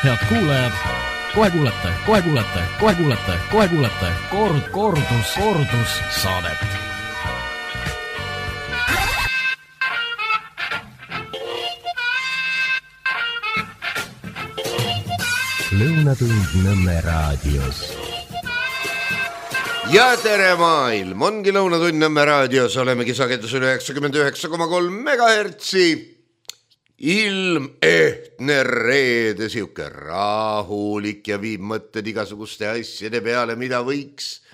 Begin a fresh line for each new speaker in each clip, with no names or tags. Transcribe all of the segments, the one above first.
Head kuulajad, kohe kuulete kordus saadet.
Lõunatund Nõmme raadios.
Ja tere maailm, ongi Lõunatund Nõmme raadios, olemegi sagedusel 99,3 megahertsi. Ilm ehtne reede, siuke rahulik ja viib mõtted igasuguste asjade peale, mida võiks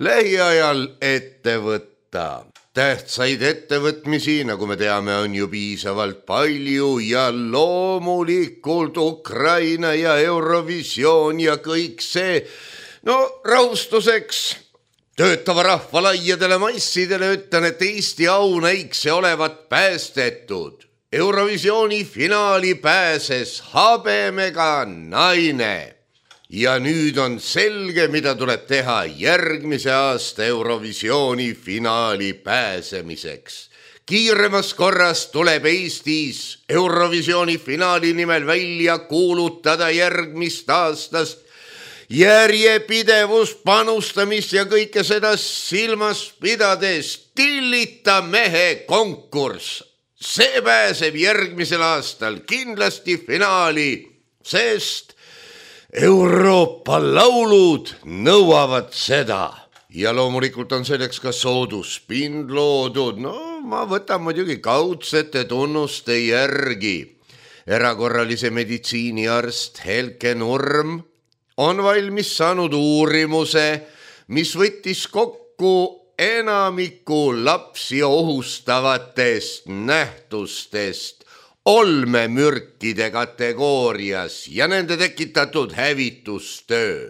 lähiajal ette võtta. Tähtsaid ettevõtmisi, nagu me teame, on ju piisavalt palju ja loomulikult Ukraina ja Eurovisioon ja kõik see. No rahustuseks töötava rahva laiadele massidele ütlen, et Eesti aunäikse olevat päästetud. Eurovisiooni finaali pääses habemega naine ja nüüd on selge, mida tuleb teha järgmise aasta Eurovisiooni finaali pääsemiseks. Kiiremas korras tuleb Eestis Eurovisiooni finaali nimel välja kuulutada järgmist aastast järjepidevus panustamist ja kõike seda silmas pidades Tillita mehe konkurss. See pääseb järgmisel aastal kindlasti finaali, sest Euroopa laulud nõuavad seda. Ja loomulikult on selleks ka sooduspind loodud. No ma võtan muidugi kaudsete tunnuste järgi. Erakorralise meditsiiniarst Helke Nurm on valmis saanud uurimuse, mis võttis kokku enamiku lapsi ohustavatest nähtustest olmemürkide kategoorias ja nende tekitatud hävitustöö.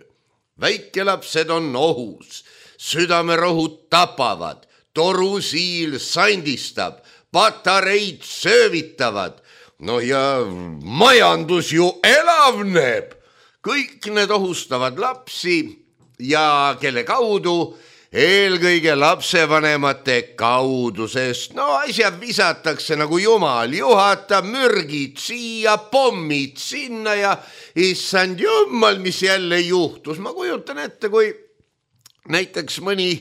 Väikelapsed on ohus, südamerohud tapavad, torusiil sandistab, patareid söövitavad, no ja majandus ju elavneb. Kõik need ohustavad lapsi ja kelle kaudu? Eelkõige lapsevanemate kaudu, sest no asjad visatakse nagu jumal, juhatab mürgid siia, pommid sinna ja issand jummal, mis jälle juhtus. Ma kujutan ette, kui näiteks mõni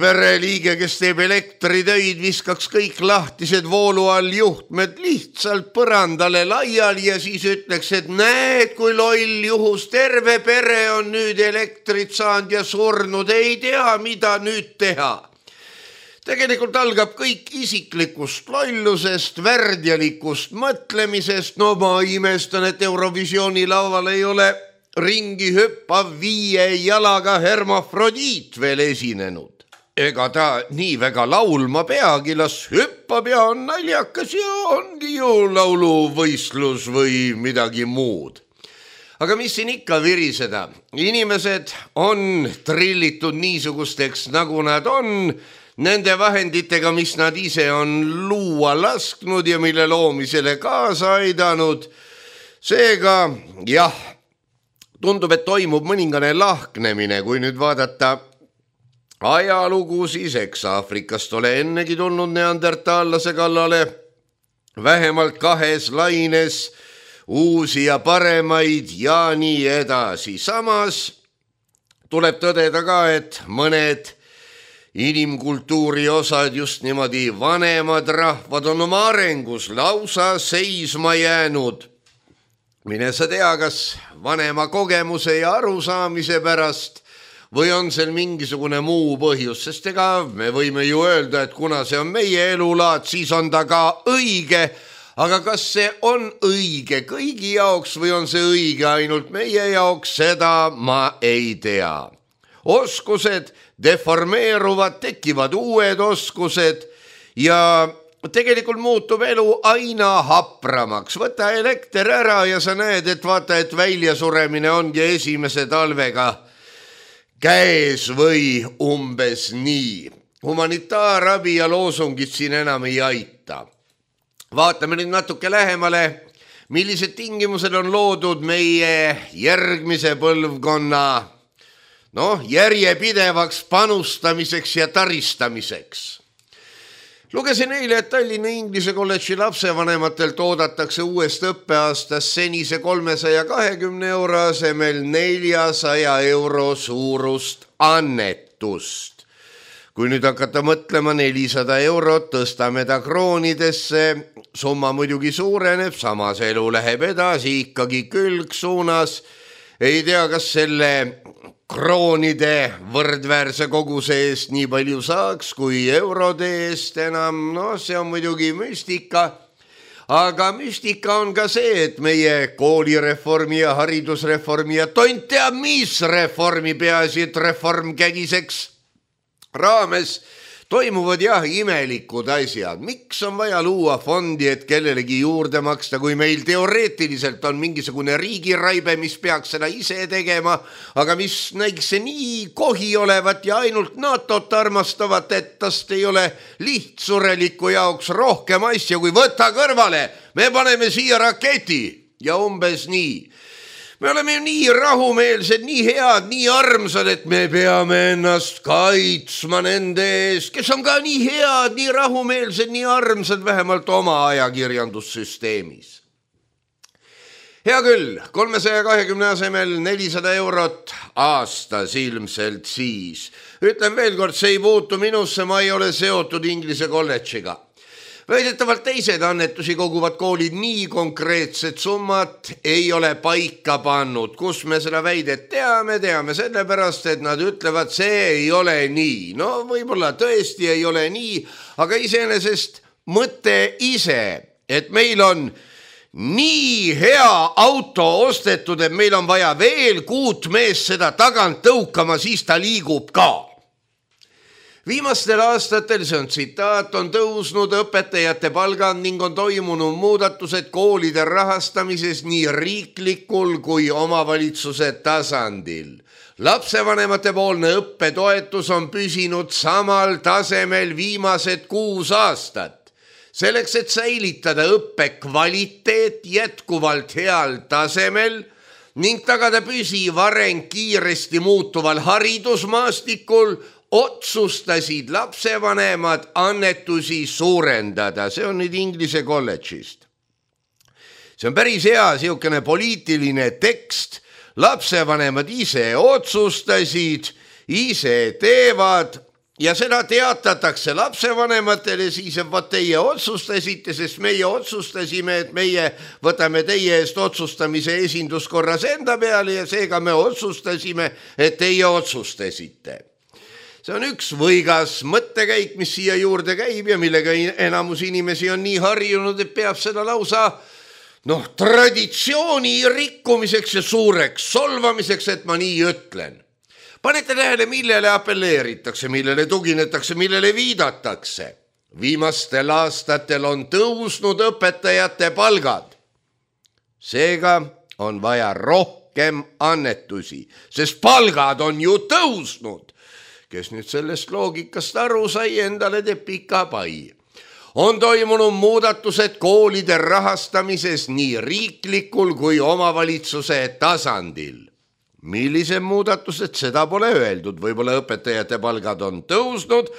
pereliige, kes teeb elektritöid, viskaks kõik lahtised voolu all juhtmed lihtsalt põrandale laiali ja siis ütleks, et näed, kui loll juhus, terve pere on nüüd elektrit saanud ja surnud, ei tea, mida nüüd teha. Tegelikult algab kõik isiklikust lollusest, värdjalikust mõtlemisest. No ma imestan, et Eurovisiooni laual ei ole ringi hüppav 5 jalaga hermafrodiit veel esinenud. Ega ta nii väga laulma peagi, las hüppab ja on naljakas ja ongi ju lauluvõistlus või midagi muud. Aga mis siin ikka viriseda? Inimesed on trillitud niisugusteks, nagu nad on, nende vahenditega, mis nad ise on luua lasknud ja mille loomisele kaasa aidanud. Seega, jah, tundub, et toimub mõningane lahknemine, kui nüüd vaadata ajalugu, siis eks Aafrikast ole ennegi tulnud neandertaallase kallale vähemalt 2 laines uusi ja paremaid ja nii edasi. Samas tuleb tõdeda ka, et mõned inimkultuuri osad, just niimoodi vanemad rahvad on oma arengus lausa seisma jäänud. Mine sa tea, kas vanema kogemuse ja arusaamise pärast või on seal mingisugune muu põhjus, sest ega me võime ju öelda, et kuna see on meie elulaad, siis on ta ka õige, aga kas see on õige kõigi jaoks või on see õige ainult meie jaoks, seda ma ei tea. Oskused deformeeruvad, tekivad uued oskused ja tegelikult muutub elu aina hapramaks. Võta elekter ära ja sa näed, et vaata, et väljasuremine ongi esimese talvega käes või umbes nii. Humanitaarabi ja loosungid siin enam ei aita. Vaatame nüüd natuke lähemale, millised tingimused on loodud meie järgmise põlvkonna järjepidevaks panustamiseks ja taristamiseks. Lugesin eile, et Tallinna Inglise kolledži lapsevanematelt oodatakse uuest õppeaastast senise 320 euro asemel 400 euro suurust annetust. Kui nüüd hakata mõtlema 400 eurot, tõstame ta kroonidesse, summa muidugi suureneb, samas elu läheb edasi ikkagi külgsuunas. Ei tea, kas selle kroonide võrdväärse koguse eest nii palju saaks kui eurode eest enam, see on muidugi müstika, aga müstika on ka see, et meie koolireformi ja haridusreformi ja tont teab mis reformi, peaasi, et reform kägiseks raames toimuvad jah imelikud asjad. Miks on vaja luua fondi, et kellelegi juurde maksta, kui meil teoreetiliselt on mingisugune riigiraibe, mis peaks seda ise tegema, aga mis näiks see nii kohi olevat ja ainult NATO-t armastavat, et tast ei ole lihtsureliku jaoks rohkem asja, kui võtta kõrvale. Me paneme siia raketi ja umbes nii. Me oleme ju nii rahumeelsed, nii head, nii armsad, et me peame ennast kaitsma nende ees, kes on ka nii head, nii rahumeelsed, nii armsad, vähemalt oma ajakirjandussüsteemis. Hea küll, 320 asemel 400 eurot aastas ilmselt siis. Ütlen veel kord, see ei puutu minusse, ma ei ole seotud Inglise kolledžiga. Väidetavalt teised annetusi koguvad koolid nii konkreetset summat ei ole paika pannud. Kus me seda väidet teame sellepärast, et nad ütlevad, see ei ole nii. No võib-olla tõesti ei ole nii, aga iseenesest mõte ise, et meil on nii hea auto ostetud, et meil on vaja veel 6 meest seda tagant tõukama, siis ta liigub ka. Viimastel aastatel, see on tsitaat, on tõusnud õpetajate palgad ning on toimunud muudatused koolide rahastamises nii riiklikul kui omavalitsuse tasandil. Lapsevanemate poolne õppetoetus on püsinud samal tasemel viimased 6 aastat. Selleks, et säilitada õppe kvaliteet jätkuvalt heal tasemel ning tagada püsiv areng kiiresti muutuval haridusmaastikul, otsustasid lapsevanemad annetusi suurendada. See on nüüd Inglise kolledžist. See on päris hea siukene poliitiline tekst. Lapsevanemad ise otsustasid, ise teevad ja seda teatatakse lapsevanematele siis, et vaat teie otsustasite, sest meie otsustasime, et meie võtame teie eest otsustamise esinduskorras enda peale ja seega me otsustasime, et teie otsustasite. See on üks võigas mõttekäik, mis siia juurde käib ja millega enamus inimesi on nii harjunud, et peab seda lausa traditsiooni rikkumiseks ja suureks solvamiseks, et ma nii ütlen. Panete tähele, millele apelleeritakse, millele tuginetakse, millele viidatakse. Viimastel aastatel on tõusnud õpetajate palgad. Seega on vaja rohkem annetusi, sest palgad on ju tõusnud. Kes nüüd sellest loogikast aru sai, endale teeb pika pai. On toimunud muudatused koolide rahastamises nii riiklikul kui omavalitsuse tasandil. Millised muudatused, seda pole öeldud. Võib-olla õpetajate palgad on tõusnud,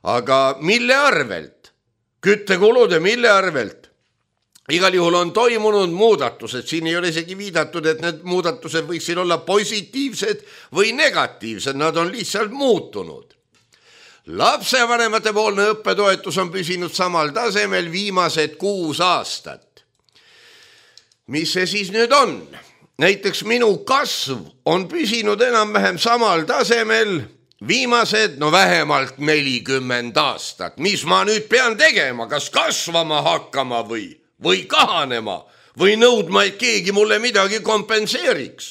aga mille arvelt? Küttekulude mille arvelt? Igal juhul on toimunud muudatused, siin ei ole isegi viidatud, et need muudatused võiksid olla positiivsed või negatiivsed, nad on lihtsalt muutunud. Lapsevanemate poolne õppetoetus on püsinud samal tasemel viimased 6 aastat. Mis see siis nüüd on? Näiteks minu kasv on püsinud enam-vähem samal tasemel viimased vähemalt 40 aastat. Mis ma nüüd pean tegema, kas kasvama hakkama või kahanema või nõudma, et keegi mulle midagi kompenseeriks.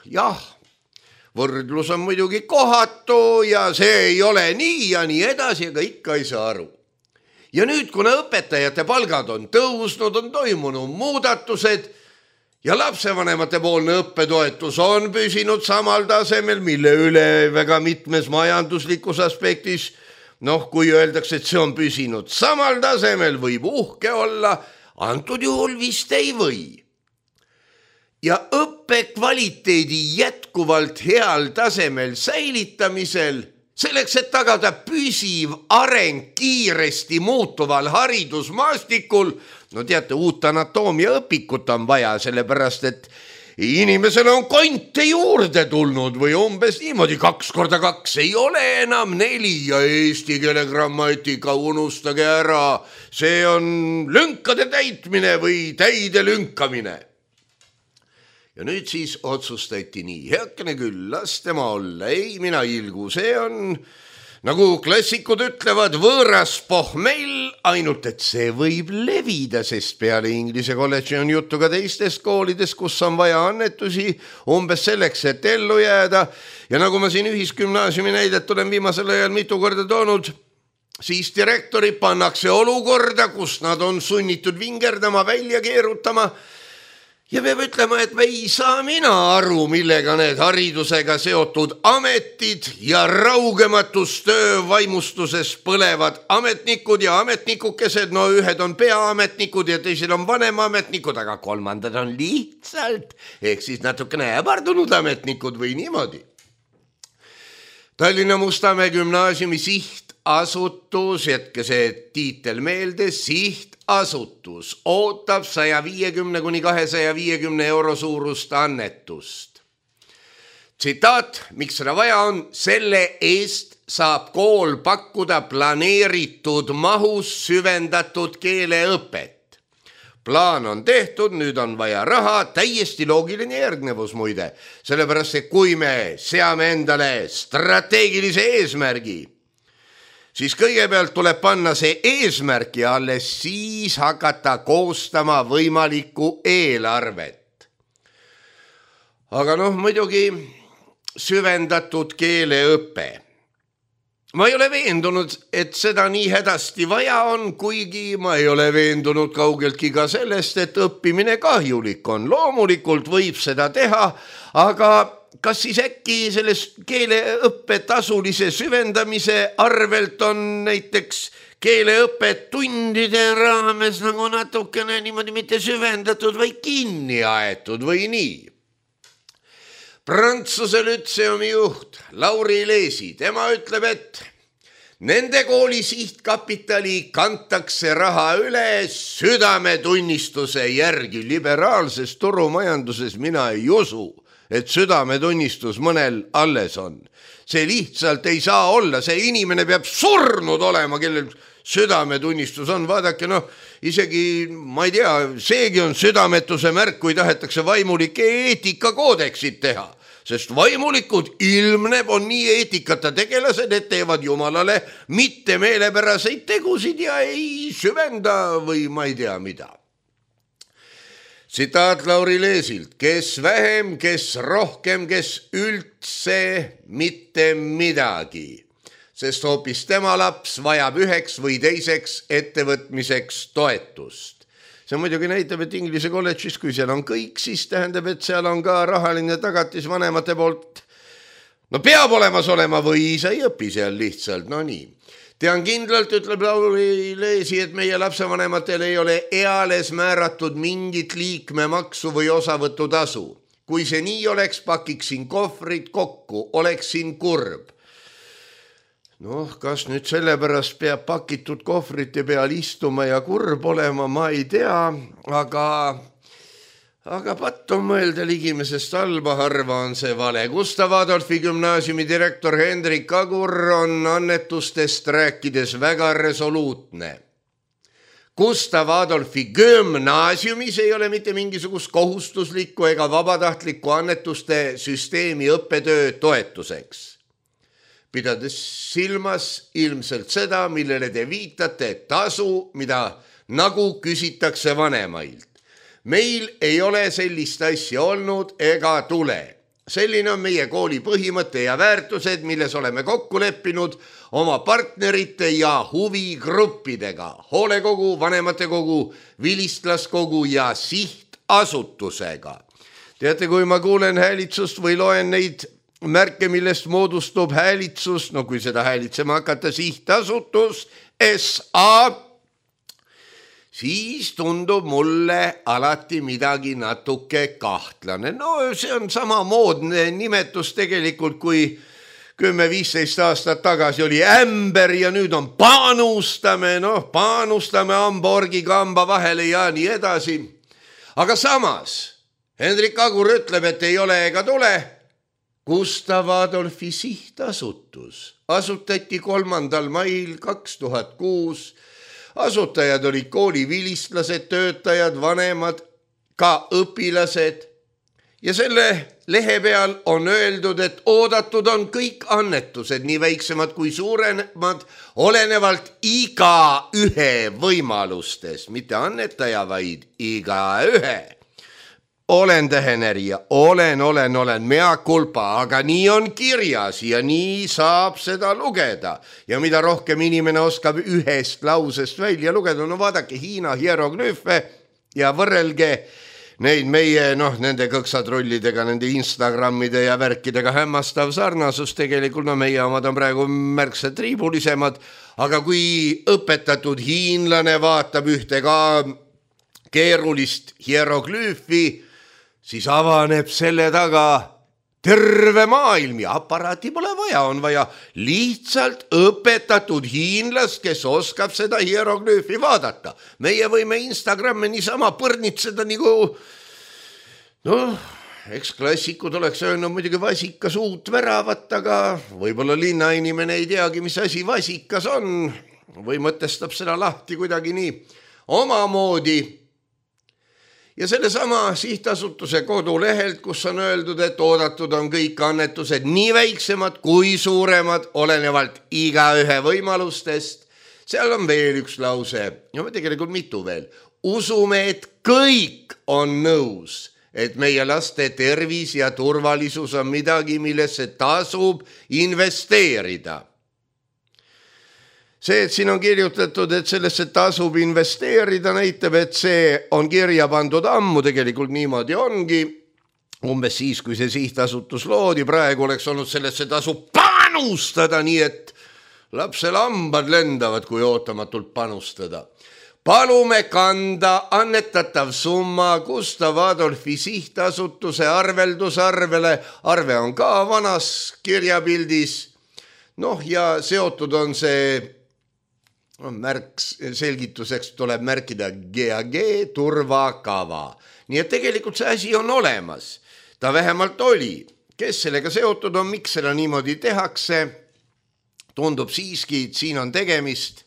Jah, võrdlus on muidugi kohatu ja see ei ole nii ja nii edasi, aga ikka ei saa aru. Ja nüüd, kuna õpetajate palgad on tõusnud, on toimunud muudatused ja lapsevanemate poolne õppetoetus on püsinud samal tasemel, mille üle väga mitmes majanduslikus aspektis kui öeldakse, et see on püsinud samal tasemel, võib uhke olla, antud juhul vist ei või. Ja õppe kvaliteedi jätkuvalt heal tasemel säilitamisel selleks, et tagada püsiv areng kiiresti muutuval haridusmaastikul, no teate, uut anatoomia õpikut on vaja, sellepärast, et inimesele on konte juurde tulnud või umbes niimoodi 2 × 2 ei ole enam 4 ja eesti keele grammatika unustage ära. See on lünkade täitmine või täide lünkamine. Ja nüüd siis otsustati nii, heakene küll, las tema olla, ei mina ilgu, see on, nagu klassikud ütlevad, võõras pohmell, ainult et see võib levida, sest peale Inglise kolledži on juttu ka teistest koolidest, kus on vaja annetusi umbes selleks, et ellu jääda. Ja nagu ma siin ühisgümnaasiumi näidet olen viimasel ajal mitu korda toonud, siis direktorid pannakse olukorda, kus nad on sunnitud vingerdama, välja keerutama. Ja peab ütlema, et me ei saa mina aru, millega need haridusega seotud ametid ja raugematustöö vaimustuses põlevad ametnikud ja ametnikukesed, no ühed on peaametnikud ja teised on vanemametnikud, aga kolmandad on lihtsalt, ehk siis natukene äbardunud ametnikud või niimoodi. Tallinna Mustamäe gümnaasiumi sihtasutus, jätke see tiitel meelde, sihtasutus ootab 150 kuni 250 euro suurust annetust. Tsitaat, miks seda vaja on, selle eest saab kool pakkuda planeeritud mahus süvendatud keeleõpet. Plaan on tehtud, nüüd on vaja raha, täiesti loogiline järgnevus muide, sellepärast, et kui me seame endale strateegilise eesmärgi, siis kõigepealt tuleb panna see eesmärk ja alles siis hakata koostama võimalikku eelarvet. Aga muidugi süvendatud keeleõpe. Ma ei ole veendunud, et seda nii hädasti vaja on, kuigi ma ei ole veendunud kaugeltki ka sellest, et õppimine kahjulik on. Loomulikult võib seda teha, aga kas siis äkki selles keeleõppe tasulise süvendamise arvelt on näiteks keeleõpet tundide raames nagu natukene niimoodi mitte süvendatud või kinni aetud või nii? Prantsuse lütseumi juht Lauri Leesi, tema ütleb, et nende kooli sihtkapitali kantakse raha üle südametunnistuse järgi. Liberaalses turumajanduses mina ei usu, et südametunnistus mõnel alles on. See lihtsalt ei saa olla, see inimene peab surnud olema, kellel südametunnistus on. Vaadake, isegi, ma ei tea, seegi on südametuse märk, kui tahetakse vaimulike eetikakoodeksit teha, sest vaimulikud ilmneb on nii eetikata tegelased, et teevad jumalale mitte meelepäraseid tegusid ja ei süvenda või ma ei tea mida. Tsitaat Lauri Leesilt, kes vähem, kes rohkem, kes üldse mitte midagi, sest hoopis tema laps vajab üheks või teiseks ettevõtmiseks toetust. See muidugi näitab, et Inglise kolledžis, kui seal on kõik, siis tähendab, et seal on ka rahaline tagatis vanemate poolt. Peab olemas olema või sa ei õpi seal lihtsalt, nii. Tean kindlalt, ütleb Lauri Leesi, et meie lapsevanematel ei ole eales määratud mingit liikmemaksu või osavõtutasu. Kui see nii oleks, pakiksin kohvrid kokku, oleksin kurb. Kas nüüd sellepärast peab pakitud kohvrite peal istuma ja kurb olema, ma ei tea, aga patt on mõelda ligimesest halba, harva on see vale. Gustav Adolfi gümnaasiumi direktor Hendrik Agur on annetustest rääkides väga resoluutne. Gustav Adolfi gümnaasiumis ei ole mitte mingisugust kohustuslikku ega vabatahtlikku annetuste süsteemi õppetöö toetuseks. Pidades silmas ilmselt seda, millele te viitate, tasu, mida nagu küsitakse vanemailt. Meil ei ole sellist asja olnud ega tule. Selline on meie kooli põhimõte ja väärtused, milles oleme kokku leppinud oma partnerite ja huvigruppidega, hoolekogu, vanematekogu, vilistlaskogu ja sihtasutusega. Teate, kui ma kuulen häälitsust või loen neid märke, millest moodustub häälitsus, kui seda häälitsema hakata sihtasutus, SA, siis tundub mulle alati midagi natuke kahtlane. See on samamoodne nimetus tegelikult, kui 10-15 aastat tagasi oli ämber ja nüüd on panustame Hamburgi kamba vahele ja nii edasi. Aga samas Hendrik Agur ütleb, et ei ole ega tule. Gustav Adolfi sihtasutus asutati 3. mail 2006. Asutajad olid koolivilistlased, töötajad, vanemad, ka õpilased. Ja selle lehe peal on öeldud, et oodatud on kõik annetused, nii väiksemad kui suuremad, olenevalt igaühe võimalustes, mitte annetaja, vaid igaühe. Olen tähenerija, olen, mea culpa, aga nii on kirjas ja nii saab seda lugeda. Ja mida rohkem inimene oskab ühest lausest välja lugeda, no vaadake Hiina hieroglüüfe ja võrrelge neid meie, nende kõksatrullidega, nende Instagramide ja värkidega hämmastav sarnasus. Tegelikult meie omad on praegu märksa triibulisemad, aga kui õpetatud hiinlane vaatab ühte ka keerulist hieroglüüfi, siis avaneb selle taga terve maailm ja aparaati pole vaja, on vaja lihtsalt õpetatud hiinlast, kes oskab seda hieroglüüfi vaadata. Meie võime Instagramme niisama põrnitseda nagu, eks klassikud oleks öelnud muidugi vasikas uut väravat, aga võib-olla linnainimene ei teagi, mis asi vasikas on või mõtestab seda lahti kuidagi nii omamoodi. Ja sellesama sihtasutuse kodulehelt, kus on öeldud, et oodatud on kõik annetused nii väiksemad kui suuremad, olenevalt igaühe võimalustest. Seal on veel üks lause, tegelikult mitu veel. Usume, et kõik on nõus, et meie laste tervis ja turvalisus on midagi, millesse tasub investeerida. See, et siin on kirjutatud, et sellesse tasub investeerida, näitab, et see on kirja pandud ammu, tegelikult niimoodi ongi. Umbes siis, kui see sihtasutus loodi, praegu oleks olnud sellesse tasub panustada, nii et lapsel hambad lendavad, kui ootamatult panustada. Palume kanda annetatav summa Gustav Adolfi sihtasutuse arveldusarvele. Arve on ka vanas kirjapildis. Ja seotud on see märk, selgituseks tuleb märkida GAG turvakava. Nii et tegelikult see asi on olemas. Ta vähemalt oli. Kes sellega seotud on, miks seda niimoodi tehakse? Tundub siiski, et siin on tegemist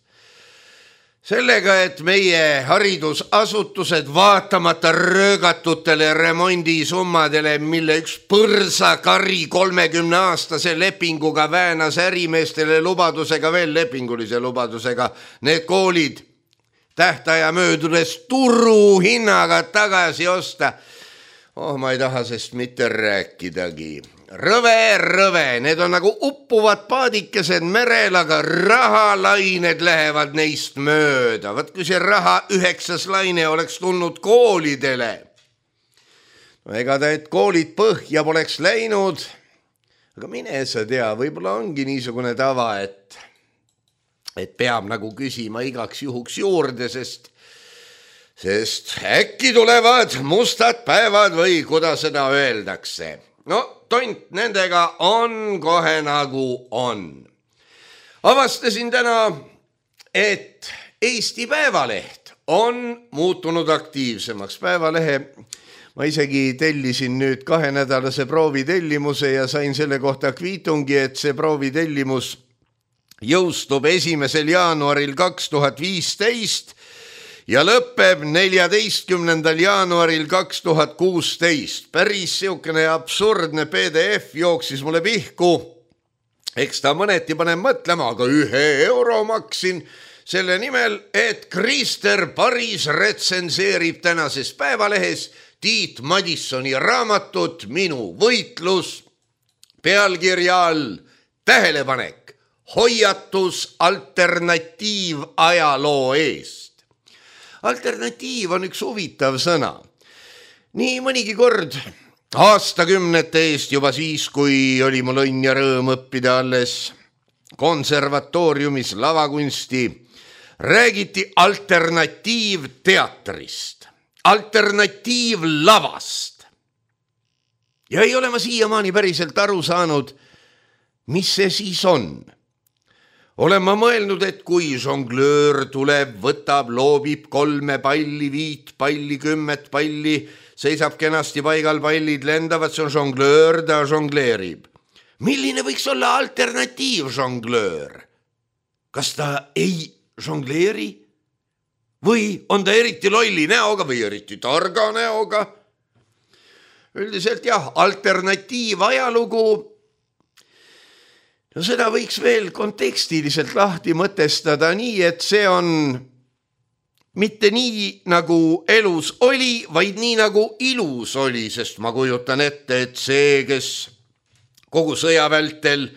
sellega, et meie haridusasutused vaatamata röögatutele remondisummadele, mille üks põrsakari 30-aastase lepinguga väänas ärimeestele lubadusega, veel lepingulise lubadusega, need koolid tähtaja möödudes turuhinnaga tagasi osta. Ma ei taha sest mitte rääkidagi. Rõve, need on nagu uppuvad paadikesed merel, aga rahalained lähevad neist mööda. Vaat kui see raha 9. laine oleks tulnud koolidele. Ega ta, et koolid põhja poleks läinud, aga mine sa tea, võib-olla ongi niisugune tava, et peab nagu küsima igaks juhuks juurde, sest äkki tulevad mustad päevad või kuidas seda öeldakse. Tont nendega on kohe nagu on. Avastasin täna, et Eesti Päevaleht on muutunud aktiivsemaks. Päevalehe ma isegi tellisin nüüd 2-nädalase proovitellimuse ja sain selle kohta kviitungi, et see proovitellimus jõustub 1. jaanuaril 2015 ja lõpeb 14. jaanuaril 2016. Päris siukene absurdne PDF jooksis mulle pihku. Eks ta mõneti paneb mõtlema, aga 1 euro maksin selle nimel, et Krister Paris retsenseerib tänases Päevalehes Tiit Madissoni raamatut Minu võitlus pealkirja all tähelepanek, hoiatus alternatiivajaloo eest. Alternatiiv on üks huvitav sõna. Nii mõnigi kord aastakümnete eest juba siis, kui oli mul õnn ja rõõm õppida alles konservatooriumis lavakunsti, räägiti alternatiivteatrist, alternatiivlavast. Ja ei ole ma siiamaani päriselt aru saanud, mis see siis on? Olen ma mõelnud, et kui žonglöör tuleb, võtab, loobib 3 palli, 5 palli, 10 palli, seisab kenasti paigal, pallid lendavad, see on žonglöör, ta žongleerib. Milline võiks olla alternatiiv žonglöör? Kas ta ei žongleeri? Või on ta eriti lolli näoga või eriti targa näoga? Üldiselt jah, alternatiiv ajalugu. No seda võiks veel kontekstiliselt lahti mõtestada nii, et see on mitte nii, nagu elus oli, vaid nii, nagu ilus oli, sest ma kujutan ette, et see, kes kogu sõja vältel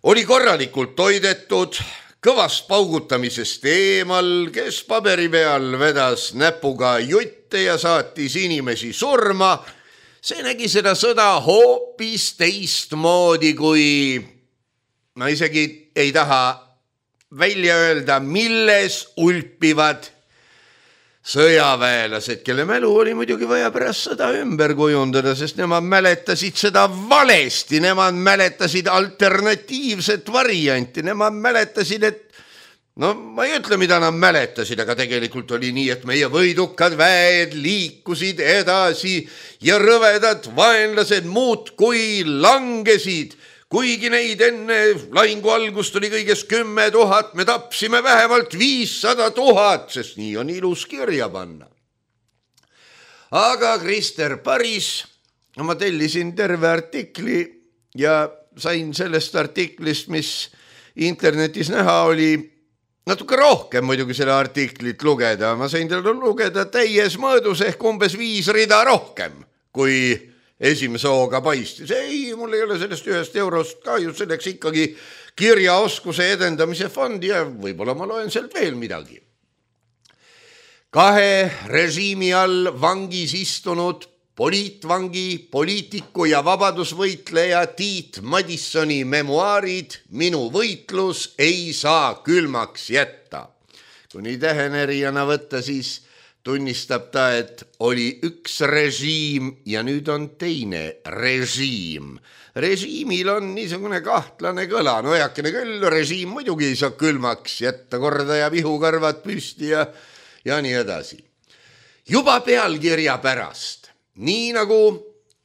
oli korralikult toidetud, kõvast paugutamisest eemal, kes paberi peal vedas näpuga jutte ja saatis inimesi surma, see nägi seda sõda hoopis teistmoodi, kui ma isegi ei taha välja öelda, milles ulpivad sõjaväelased, kelle mälu oli muidugi vaja pärast sõda ümber kujundada, sest nemad mäletasid seda valesti, nemad mäletasid alternatiivset varianti, nemad mäletasid, et no ma ei ütle, mida nad mäletasid, aga tegelikult oli nii, et meie võidukad väed liikusid edasi ja rõvedad vaenlased muudkui langesid. Kuigi neid enne lahingu algust oli kõigest 10 000, me tapsime vähemalt 500 000, sest nii on ilus kirja panna. Aga Krister Paris, ma tellisin terve artikli ja sain sellest artiklist, mis internetis näha oli, natuke rohkem muidugi selle artiklit lugeda. Ma sain teda lugeda täies mõõdus ehk umbes 5 rida rohkem, kui esimese hooga paistis. Ei, mul ei ole sellest 1 eurost kahju, selleks ikkagi kirjaoskuse edendamise fondi ja võib-olla ma loen sealt veel midagi. 2 režiimi all vangis istunud poliitvangi, poliitiku ja vabadusvõitleja Tiit Madissoni memuaarid Minu võitlus ei saa külmaks jätta. Kui nii tähenerijana võtta, siis tunnistab ta, et oli üks režiim ja nüüd on teine režiim. Režiimil on niisugune kahtlane kõla, no eakene küll, režiim muidugi ei saa külmaks jätta, korda ja vihukarvad püsti ja nii edasi. Juba pealkirja pärast, nii nagu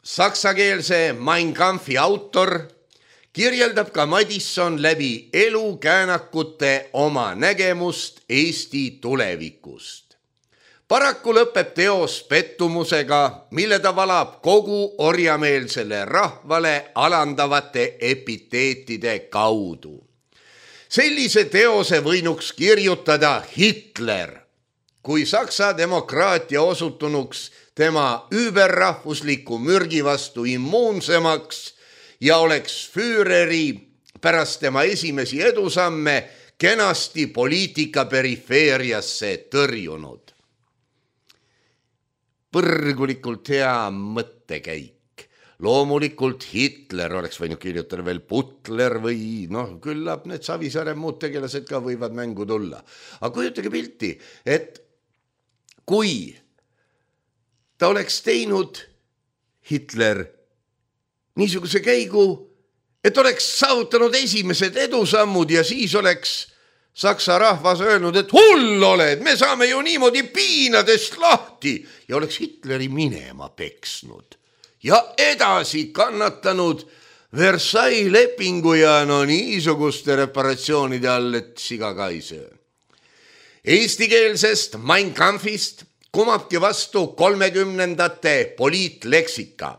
saksakeelse Mein Kampfi autor, kirjeldab ka Madisson läbi elukäänakute oma nägemust Eesti tulevikust. Paraku lõpeb teos pettumusega, mille ta valab kogu orjameelsele rahvale alandavate epiteetide kaudu. Sellise teose võinuks kirjutada Hitler, kui Saksa demokraatia osutunuks tema überrahvusliku mürgi vastu immuunsemaks ja oleks Führeri pärast tema esimesi edusamme kenasti poliitika perifeeriasse tõrjunud. Põrgulikult hea mõttekäik. Loomulikult Hitler oleks võinud kirjutada veel Butler või küllap need Savisaare muud tegelased ka võivad mängu tulla. Aga kujutage pilti, et kui ta oleks teinud Hitler niisuguse käigu, et oleks saavutanud esimesed edusammud ja siis oleks Saksa rahvas öelnud, et hull oled, me saame ju niimoodi piinadest lahti ja oleks Hitleri minema peksnud ja edasi kannatanud Versailles lepingu ja niisuguste reparatsioonide all, et siga ka ei söö. Eestikeelsest Mein Kampfist kumabki vastu 30ndate poliitleksika.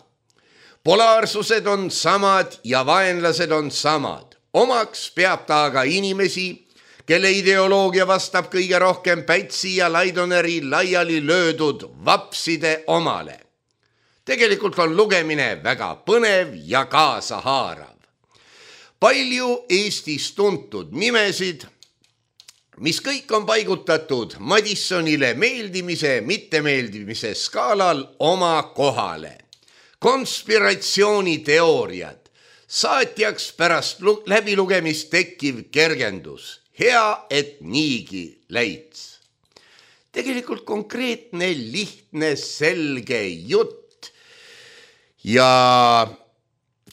Polaarsused on samad ja vaenlased on samad. Omaks peab ta aga inimesi, kelle ideoloogia vastab kõige rohkem Pätsi ja Laidoneri laiali löödud vapside omale. Tegelikult on lugemine väga põnev ja kaasahaarav. Palju Eestis tuntud nimesid, mis kõik on paigutatud Madissonile meeldimise, mittemeeldimise skaalal oma kohale. Konspiratsiooniteooriad, saatjaks pärast läbilugemist tekkiv kergendus. Hea, et niigi läits. Tegelikult konkreetne, lihtne, selge jutt ja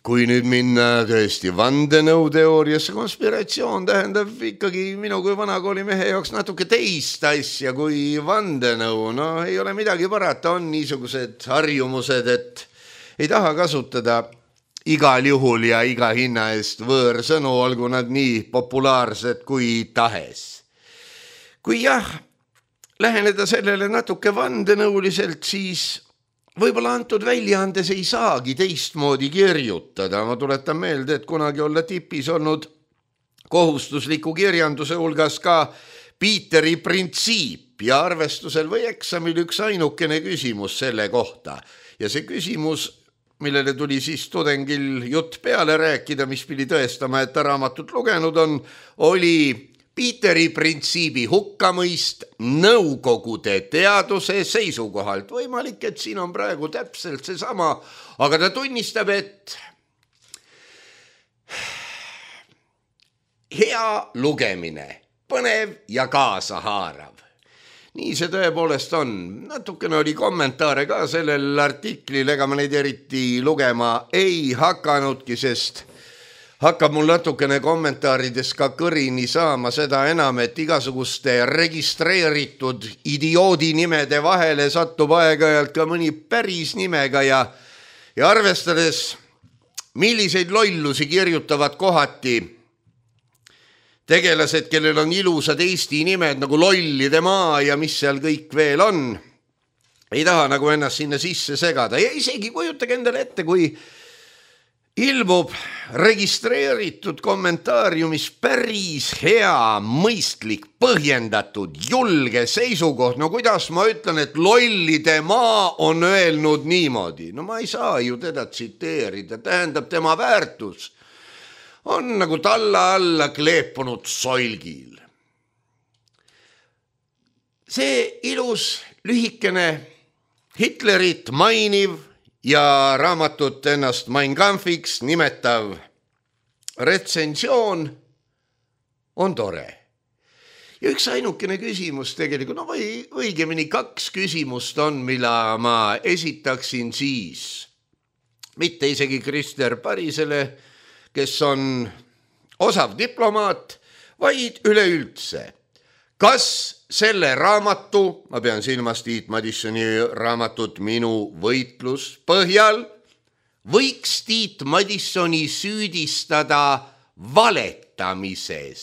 kui nüüd minna tõesti vandenõuteooriasse, konspiratsioon tähendab ikkagi minu kui vanakooli mehe jaoks natuke teist asja kui vandenõu. No ei ole midagi parata, on niisugused harjumused, et ei taha kasutada igal juhul ja iga hinna eest võõrsõnu, olgu nad nii populaarsed kui tahes. Kui jah, läheneda sellele natuke vandenõuliselt, siis võib-olla antud väljaandes ei saagi teistmoodi kirjutada. Ma tuletan meelde, et kunagi olla tipis olnud kohustusliku kirjanduse hulgas ka Piiteri printsiip ja arvestusel või eksamil üks ainukene küsimus selle kohta. Ja see küsimus, millele tuli siis tudengil jutt peale rääkida, mis pidi tõestama, et ta raamatut lugenud on, oli Piiteri printsiibi hukkamõist nõukogude teaduse seisukohalt. Võimalik, et siin on praegu täpselt seesama, aga ta tunnistab, et hea lugemine, põnev ja kaasahaarav. Nii see tõepoolest on. Natukene oli kommentaare ka sellel artiklil, ega ma neid eriti lugema ei hakanudki, sest hakkab mul natukene kommentaarides ka kõrini saama, seda enam, et igasuguste registreeritud idioodi nimede vahele satub aeg-ajalt ka mõni päris nimega ja arvestades, milliseid lollusi kirjutavad kohati tegelased, kellel on ilusad Eesti nimed nagu Lollide maa ja mis seal kõik veel on, ei taha nagu ennast sinna sisse segada ja isegi kujutage endale ette, kui ilmub registreeritud kommentaariumis päris hea, mõistlik, põhjendatud, julge seisukoht. No kuidas ma ütlen, et Lollide maa on öelnud niimoodi? No ma ei saa ju teda tsiteerida, tähendab tema väärtus on nagu talla alla kleepunud soilgil. See ilus, lühikene, Hitlerit mainiv ja raamatut ennast Mein Kampfiks nimetav retsensioon on tore. Ja üks ainukene küsimus tegelikult, no või õigemini kaks küsimust on, mille ma esitaksin siis. Mitte isegi Krister Parisele, kes on osav diplomaat, vaid üleüldse. Kas selle raamatu, ma pean silmas Tiit Madissoni raamatut Minu võitlus põhjal, võiks Tiit Madissoni süüdistada valetamises?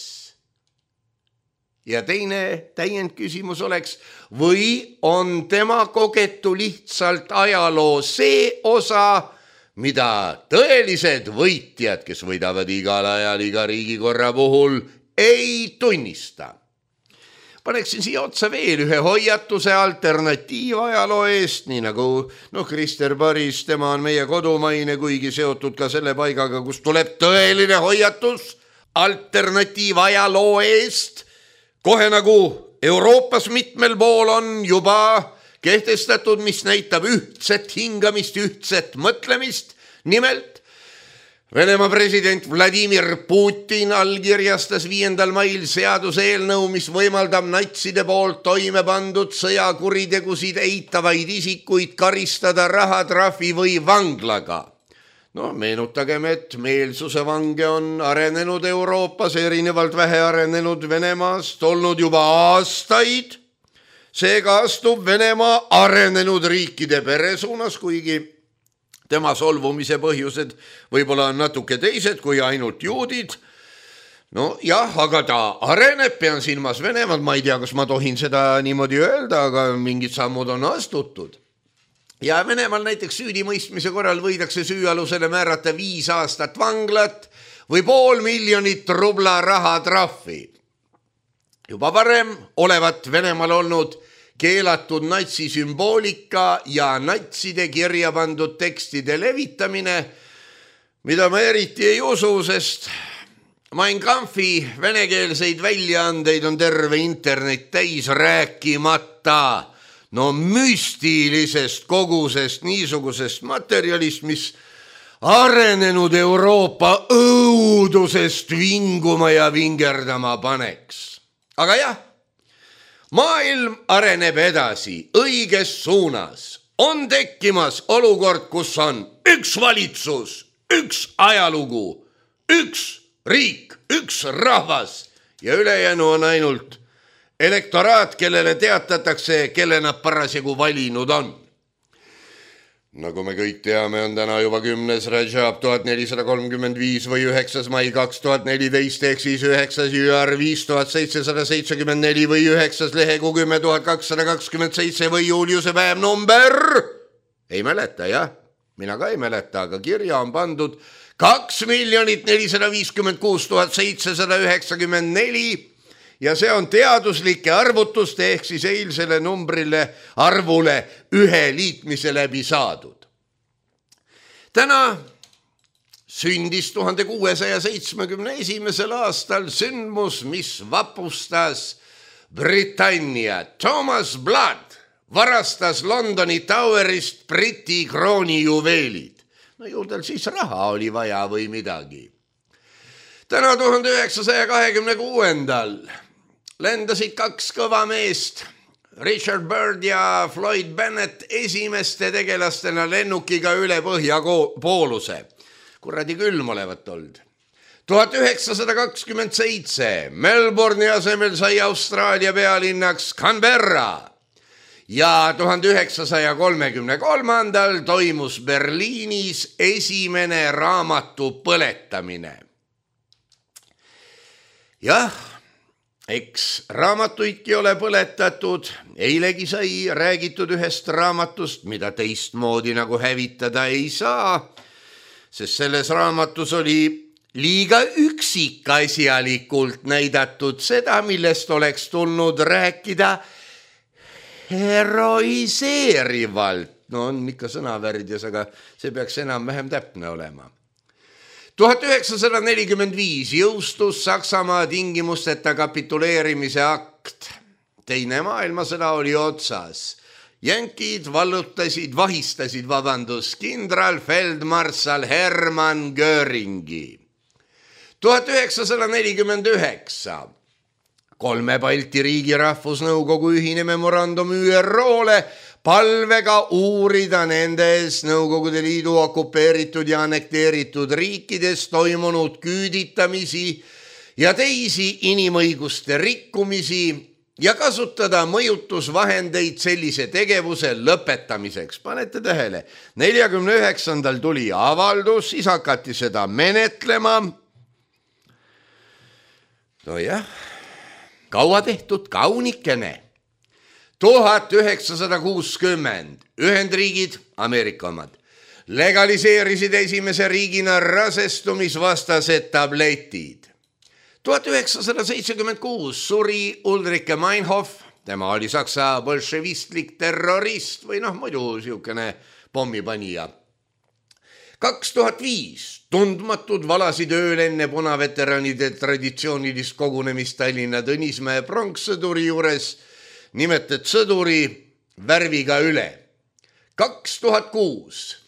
Ja teine täiendküsimus oleks, või on tema kogetu lihtsalt ajaloo see osa, mida tõelised võitjad, kes võidavad igal ajal iga riigikorra puhul, ei tunnista? Paneksin siia otsa veel ühe hoiatuse alternatiivajaloo eest, nii nagu Krister Paris, tema on meie kodumaine, kuigi seotud ka selle paigaga, kus tuleb tõeline hoiatus alternatiivajaloo eest. Kohe nagu Euroopas mitmel pool on juba kehtestatud, mis näitab ühtset hingamist, ühtset mõtlemist. Nimelt, Venemaa president Vladimir Putin allkirjastas 5. mail seaduseelnõu, mis võimaldab natside poolt toime pandud sõjakuritegusid eitavaid isikuid karistada rahatrahvi või vanglaga. No meenutagem, et meelsuse vange on arenenud Euroopas erinevalt vähearenenud Venemaast olnud juba aastaid. Seega astub Venemaa arenenud riikide pere suunas, kuigi tema solvumise põhjused võib-olla on natuke teised kui ainult juudid. No jah, aga ta areneb, pean silmas Venemaad, ma ei tea, kas ma tohin seda niimoodi öelda, aga mingid sammud on astutud. Ja Venemaal näiteks süüdimõistmise korral võidakse süüalusele määrata 5 aastat vanglat või 500 000 rubla rahatrahvi. Juba varem olevat Venemaal olnud keelatud natsisümboolika ja natside kirja pandud tekstide levitamine, mida ma eriti ei usu, sest Mein Kampfi venekeelseid väljaandeid on terve internet täis, rääkimata müstilisest kogusest niisugusest materjalist, mis arenenud Euroopa õudusest vinguma ja vingerdama paneks. Aga jah, maailm areneb edasi õiges suunas. On tekkimas olukord, kus on üks valitsus, üks ajalugu, üks riik, üks rahvas ja ülejäänu on ainult elektoraat, kellele teatatakse, kelle nad parasjagu valinud on. Nagu me kõik teame, on täna juba 10. Rajab 1435 või 9. mai 2014 ehk siis 9. jüar 5774 või 9. lehekuu 10227 või Juliuse päev number. Ei mäleta, jah? Mina ka ei mäleta, aga kirja on pandud 2 456 794 ja see on teaduslike arvutuste ehk siis eilsele arvule ühe liitmise läbi saadud. Täna sündis 1671. aastal sündmus, mis vapustas Britannia. Thomas Blood varastas Londoni Towerist Briti krooni juveelid. No ju tal siis raha oli vaja või midagi. Täna 1926. lendasid 2 kõva meest, Richard Byrd ja Floyd Bennett esimeste tegelastena lennukiga üle põhjapooluse. Kuradi külm olevat olnud. 1927 Melbourne'i asemel sai Austraalia pealinnaks Canberra ja 1933 toimus Berliinis esimene raamatu põletamine. Jah, eks raamatuidki ole põletatud, eilegi sai räägitud ühest raamatust, mida teistmoodi nagu hävitada ei saa, sest selles raamatus oli liiga üksikasjalikult näidatud seda, millest oleks tulnud rääkida heroiseerivalt. No on ikka sõnavärdjas, aga see peaks enam-vähem täpne olema. 1945 jõustus Saksamaa tingimusteta kapituleerimise akt. Teine maailmasõda oli otsas. Jänkid vahistasid kindral feldmarssal Hermann Göringi. 1949 3 Balti riigi rahvusnõukogu ühine memorandum ÜRO-le palvega uurida nendes Nõukogude Liidu okupeeritud ja annekteeritud riikides toimunud küüditamisi ja teisi inimõiguste rikkumisi ja kasutada mõjutusvahendeid sellise tegevuse lõpetamiseks. Panete tähele, 49. tuli avaldus, siis hakati seda menetlema. No jah, kaua tehtud, kaunikene. 1960 Ühendriigid, Ameerika omad, legaliseerisid esimese riigina rasestumisvastased tabletid. 1976 suri Ulrike Meinhof, tema oli saksa bolševistlik terrorist või muidu siukene pommipanija. 2005 tundmatud valasid ööl enne punaveteranide traditsioonilist kogunemist Tallinna Tõnismäe pronkssõduri juures nimetet sõduri värviga üle. 2006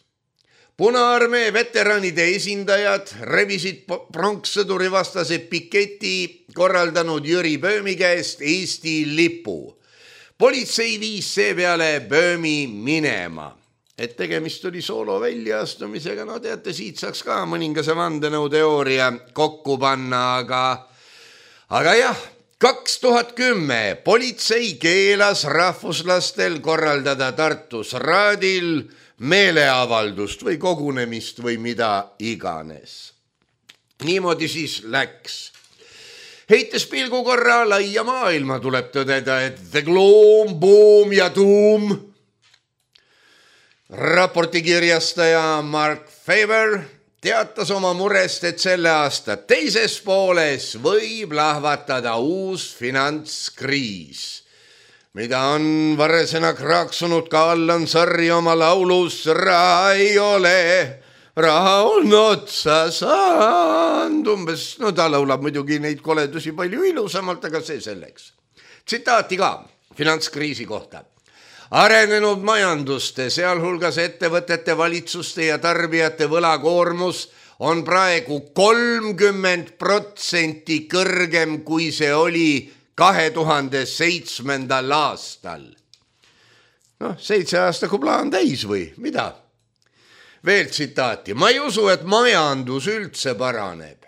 Punaarmee veteranide esindajad revisid pronkssõduri vastase piketi korraldanud Jüri Böömi käest Eesti lipu. Politsei viis seepeale Böömi minema. Et tegemist oli soolo väljaastumisega, no teate, siit saaks ka mõningase vandenõuteooria kokku panna, aga jah, 2010 politsei keelas rahvuslastel korraldada Tartus Raadil meeleavaldust või kogunemist või mida iganes. Niimoodi siis läks. Heites pilgu korra laia maailma tuleb tõdeda, et the gloom, boom ja tuum. Raporti kirjastaja Mark Faber teatas oma murest, et selle aasta teises pooles võib lahvatada uus finantskriis, mida on varresena kraaksunud ka Allan Sarri oma laulus Raha ei ole, raha on otsa saanud. Umbes, ta laulab muidugi neid koledusi palju ilusamalt, aga see selleks. Tsitaati ka finantskriisi kohta. Arenenud majanduste, sealhulgas ettevõtete, valitsuste ja tarbijate võlakoormus on praegu 30% kõrgem, kui see oli 2007. aastal. 7 aastaku plaan täis või mida? veel tsitaati. Ma ei usu, et majandus üldse paraneb.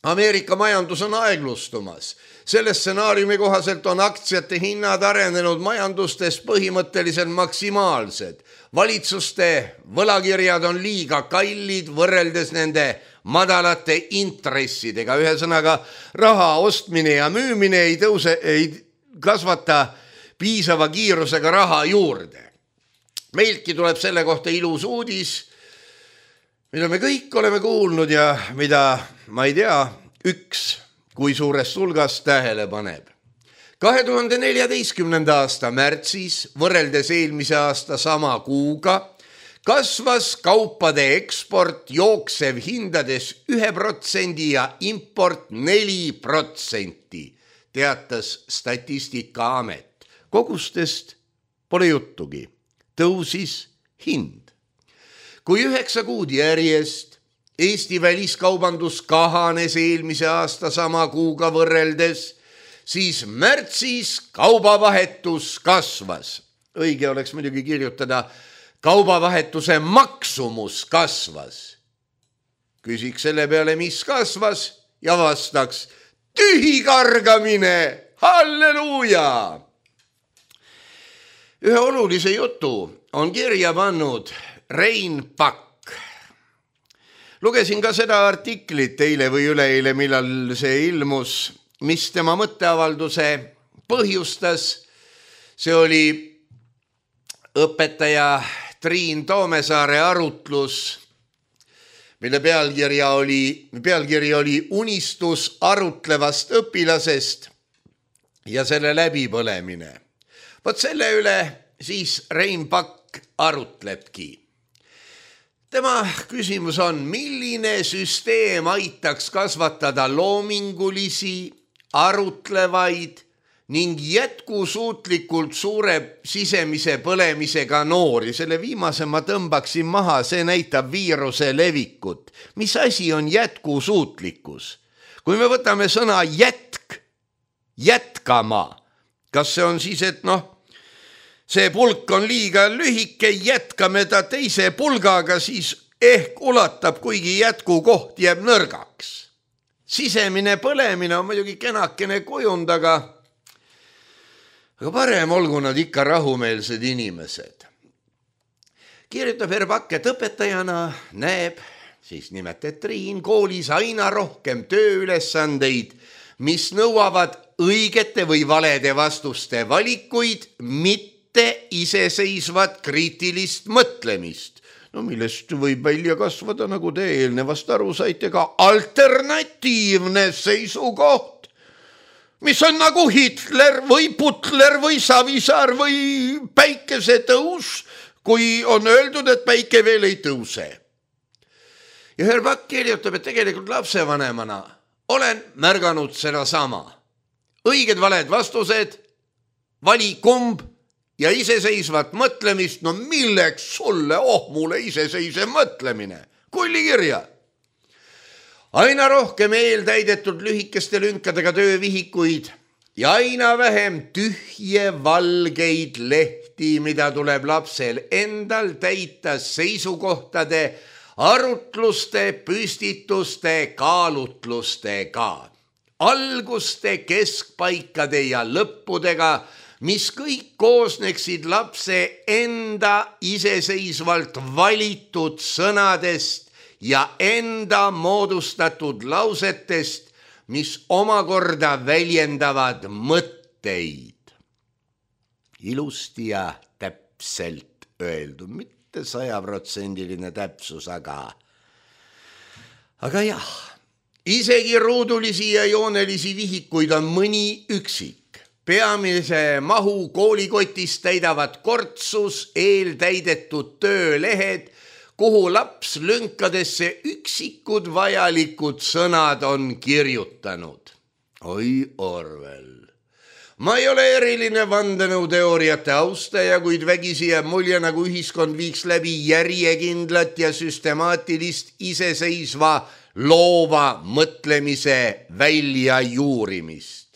Ameerika majandus on aeglustumas. Selle stsenaariumi kohaselt on aktsiate hinnad arenenud majandustes põhimõtteliselt maksimaalsed. Valitsuste võlakirjad on liiga kallid võrreldes nende madalate intressidega. Ühesõnaga, raha ostmine ja müümine ei kasvata piisava kiirusega raha juurde. Meiltki tuleb selle kohta ilus uudis, mida me kõik oleme kuulnud ja mida, ma ei tea, üks kui suurest hulgast tähele paneb. 2014. aasta märtsis võrreldes eelmise aasta sama kuuga kasvas kaupade eksport jooksev hindades 1% ja import 4%, teatas Statistikaamet. Kogustest pole juttugi, tõusis hind. Kui 9 kuud järjest Eesti väliskaubandus kahanes eelmise aasta sama kuuga võrreldes, siis märtsis kaubavahetus kasvas. Õige oleks muidugi kirjutada, kaubavahetuse maksumus kasvas. Küsiks selle peale, mis kasvas ja vastaks, tühikargamine, halleluuja! Ühe olulise jutu on kirja pannud Rein Pakk. Lugesin ka seda artiklit eile või üleeile, millal see ilmus, mis tema mõtteavalduse põhjustas. See oli õpetaja Triin Toomesaare arutlus, mille pealkiri oli unistus arutlevast õpilasest ja selle läbipõlemine. Vot selle üle siis Rein Pakk arutlebki. Tema küsimus on, milline süsteem aitaks kasvatada loomingulisi, arutlevaid ning jätkusuutlikult suure sisemise põlemisega noori. Selle viimase ma tõmbaksin maha, see näitab viiruse levikut. Mis asi on jätkusuutlikkus? Kui me võtame sõna jätkama, kas see on siis, et see pulk on liiga lühike, jätkame ta teise pulgaga, siis ehk ulatab, kuigi jätkukoht jääb nõrgaks. Sisemine põlemine on muidugi kenakene kujund, aga parem olgu nad ikka rahumeelsed inimesed. Kirjutab Pakk, et õpetajana näeb, siis nimetab Triin, koolis aina rohkem tööülesandeid, mis nõuavad õigete või valede vastuste valikuid, mitte iseseisvat kriitilist mõtlemist. Millest võib välja kasvada, nagu te eelnevast aru saite, ka alternatiivne seisukoht, mis on nagu Hitler või Putler või Savisaar või päikesetõus, kui on öeldud, et päike veel ei tõuse. Ja Pakk kirjutab, et tegelikult lapsevanemana olen märganud seda sama. Õiged valed vastused, vali kumb ja iseseisvat mõtlemist, milleks sulle, mulle iseseisev mõtlemine, kullikirja. Aina rohkem eeltäidetud lühikeste lünkadega töövihikuid ja aina vähem tühje valgeid lehti, mida tuleb lapsel endal täita seisukohtade, arutluste, püstituste, kaalutlustega, alguste, keskpaikade ja lõppudega, mis kõik koosneksid lapse enda iseseisvalt valitud sõnadest ja enda moodustatud lausetest, mis omakorda väljendavad mõtteid. Ilusti ja täpselt öeldud, mitte 100% täpsus, aga jah, isegi ruudulisi ja joonelisi vihikuid on mõni üksik. Peamise mahu koolikotist täidavad kortsus eeltäidetud töölehed, kuhu laps lünkadesse üksikud vajalikud sõnad on kirjutanud. Oi Orwell. Ma ei ole eriline vandenõuteooriate austaja, kuid vägisi jääb mulje, nagu ühiskond viiks läbi järjekindlat ja süstemaatilist iseseisva loova mõtlemise väljajuurimist.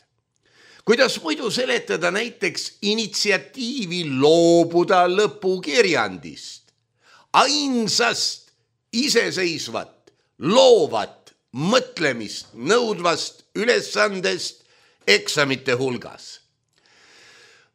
Kuidas muidu seletada näiteks initsiatiivi loobuda lõpukirjandist? ainsast iseseisvat, loovat, mõtlemist nõudvast ülesandest eksamite hulgas.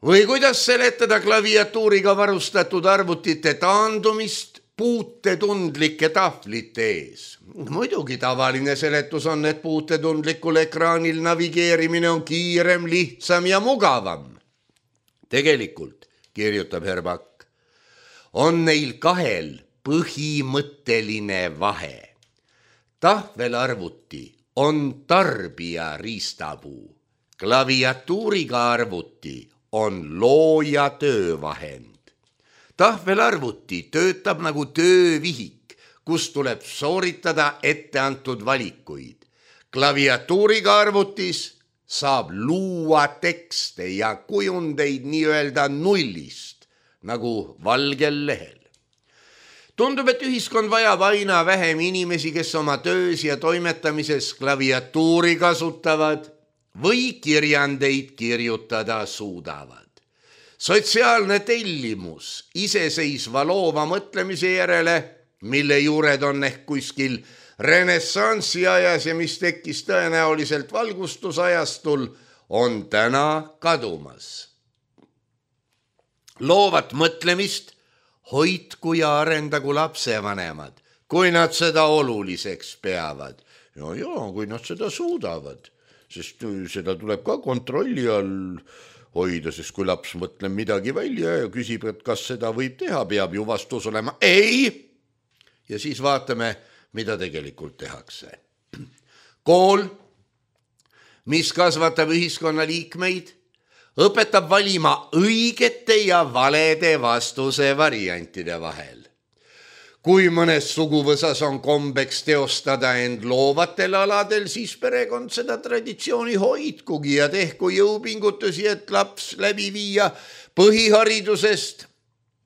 Või kuidas seletada klaviatuuriga varustatud arvutite taandumist puutetundlike tahvlite ees? Muidugi tavaline seletus on, et puutetundlikul ekraanil navigeerimine on kiirem, lihtsam ja mugavam. Tegelikult, kirjutab Herbak, on neil kahel põhimõtteline vahe. Tahvelarvuti on tarbija riistapuu, klaviatuuriga arvuti on looja töövahend. Tahvelarvuti töötab nagu töövihik, kus tuleb sooritada etteantud valikuid. Klaviatuuriga arvutis saab luua tekste ja kujundeid nii-öelda nullist, nagu valgel lehel. Tundub, et ühiskond vajab aina vähem inimesi, kes oma töös ja toimetamises klaviatuuri kasutavad või kirjandeid kirjutada suudavad. Sotsiaalne tellimus iseseisva loova mõtlemise järele, mille juured on ehk kuskil renessansi ajas ja mis tekkis tõenäoliselt valgustusajastul, on täna kadumas. Loovat mõtlemist hoidku ja arendagu lapsevanemad, kui nad seda oluliseks peavad. Ja, kui nad seda suudavad, sest seda tuleb ka kontrolli all hoida, sest kui laps mõtleb midagi välja ja küsib, et kas seda võib teha, peab ju vastus olema ei. Ja siis vaatame, mida tegelikult tehakse. Kool, mis kasvatab ühiskonna liikmeid, õpetab valima õigete ja valede vastuse variantide vahel. Kui mõnes suguvõsas on kombeks teostada end loovatel aladel, siis perekond seda traditsiooni hoidkugi ja tehku jõupingutusi, et laps läbi viia põhiharidusest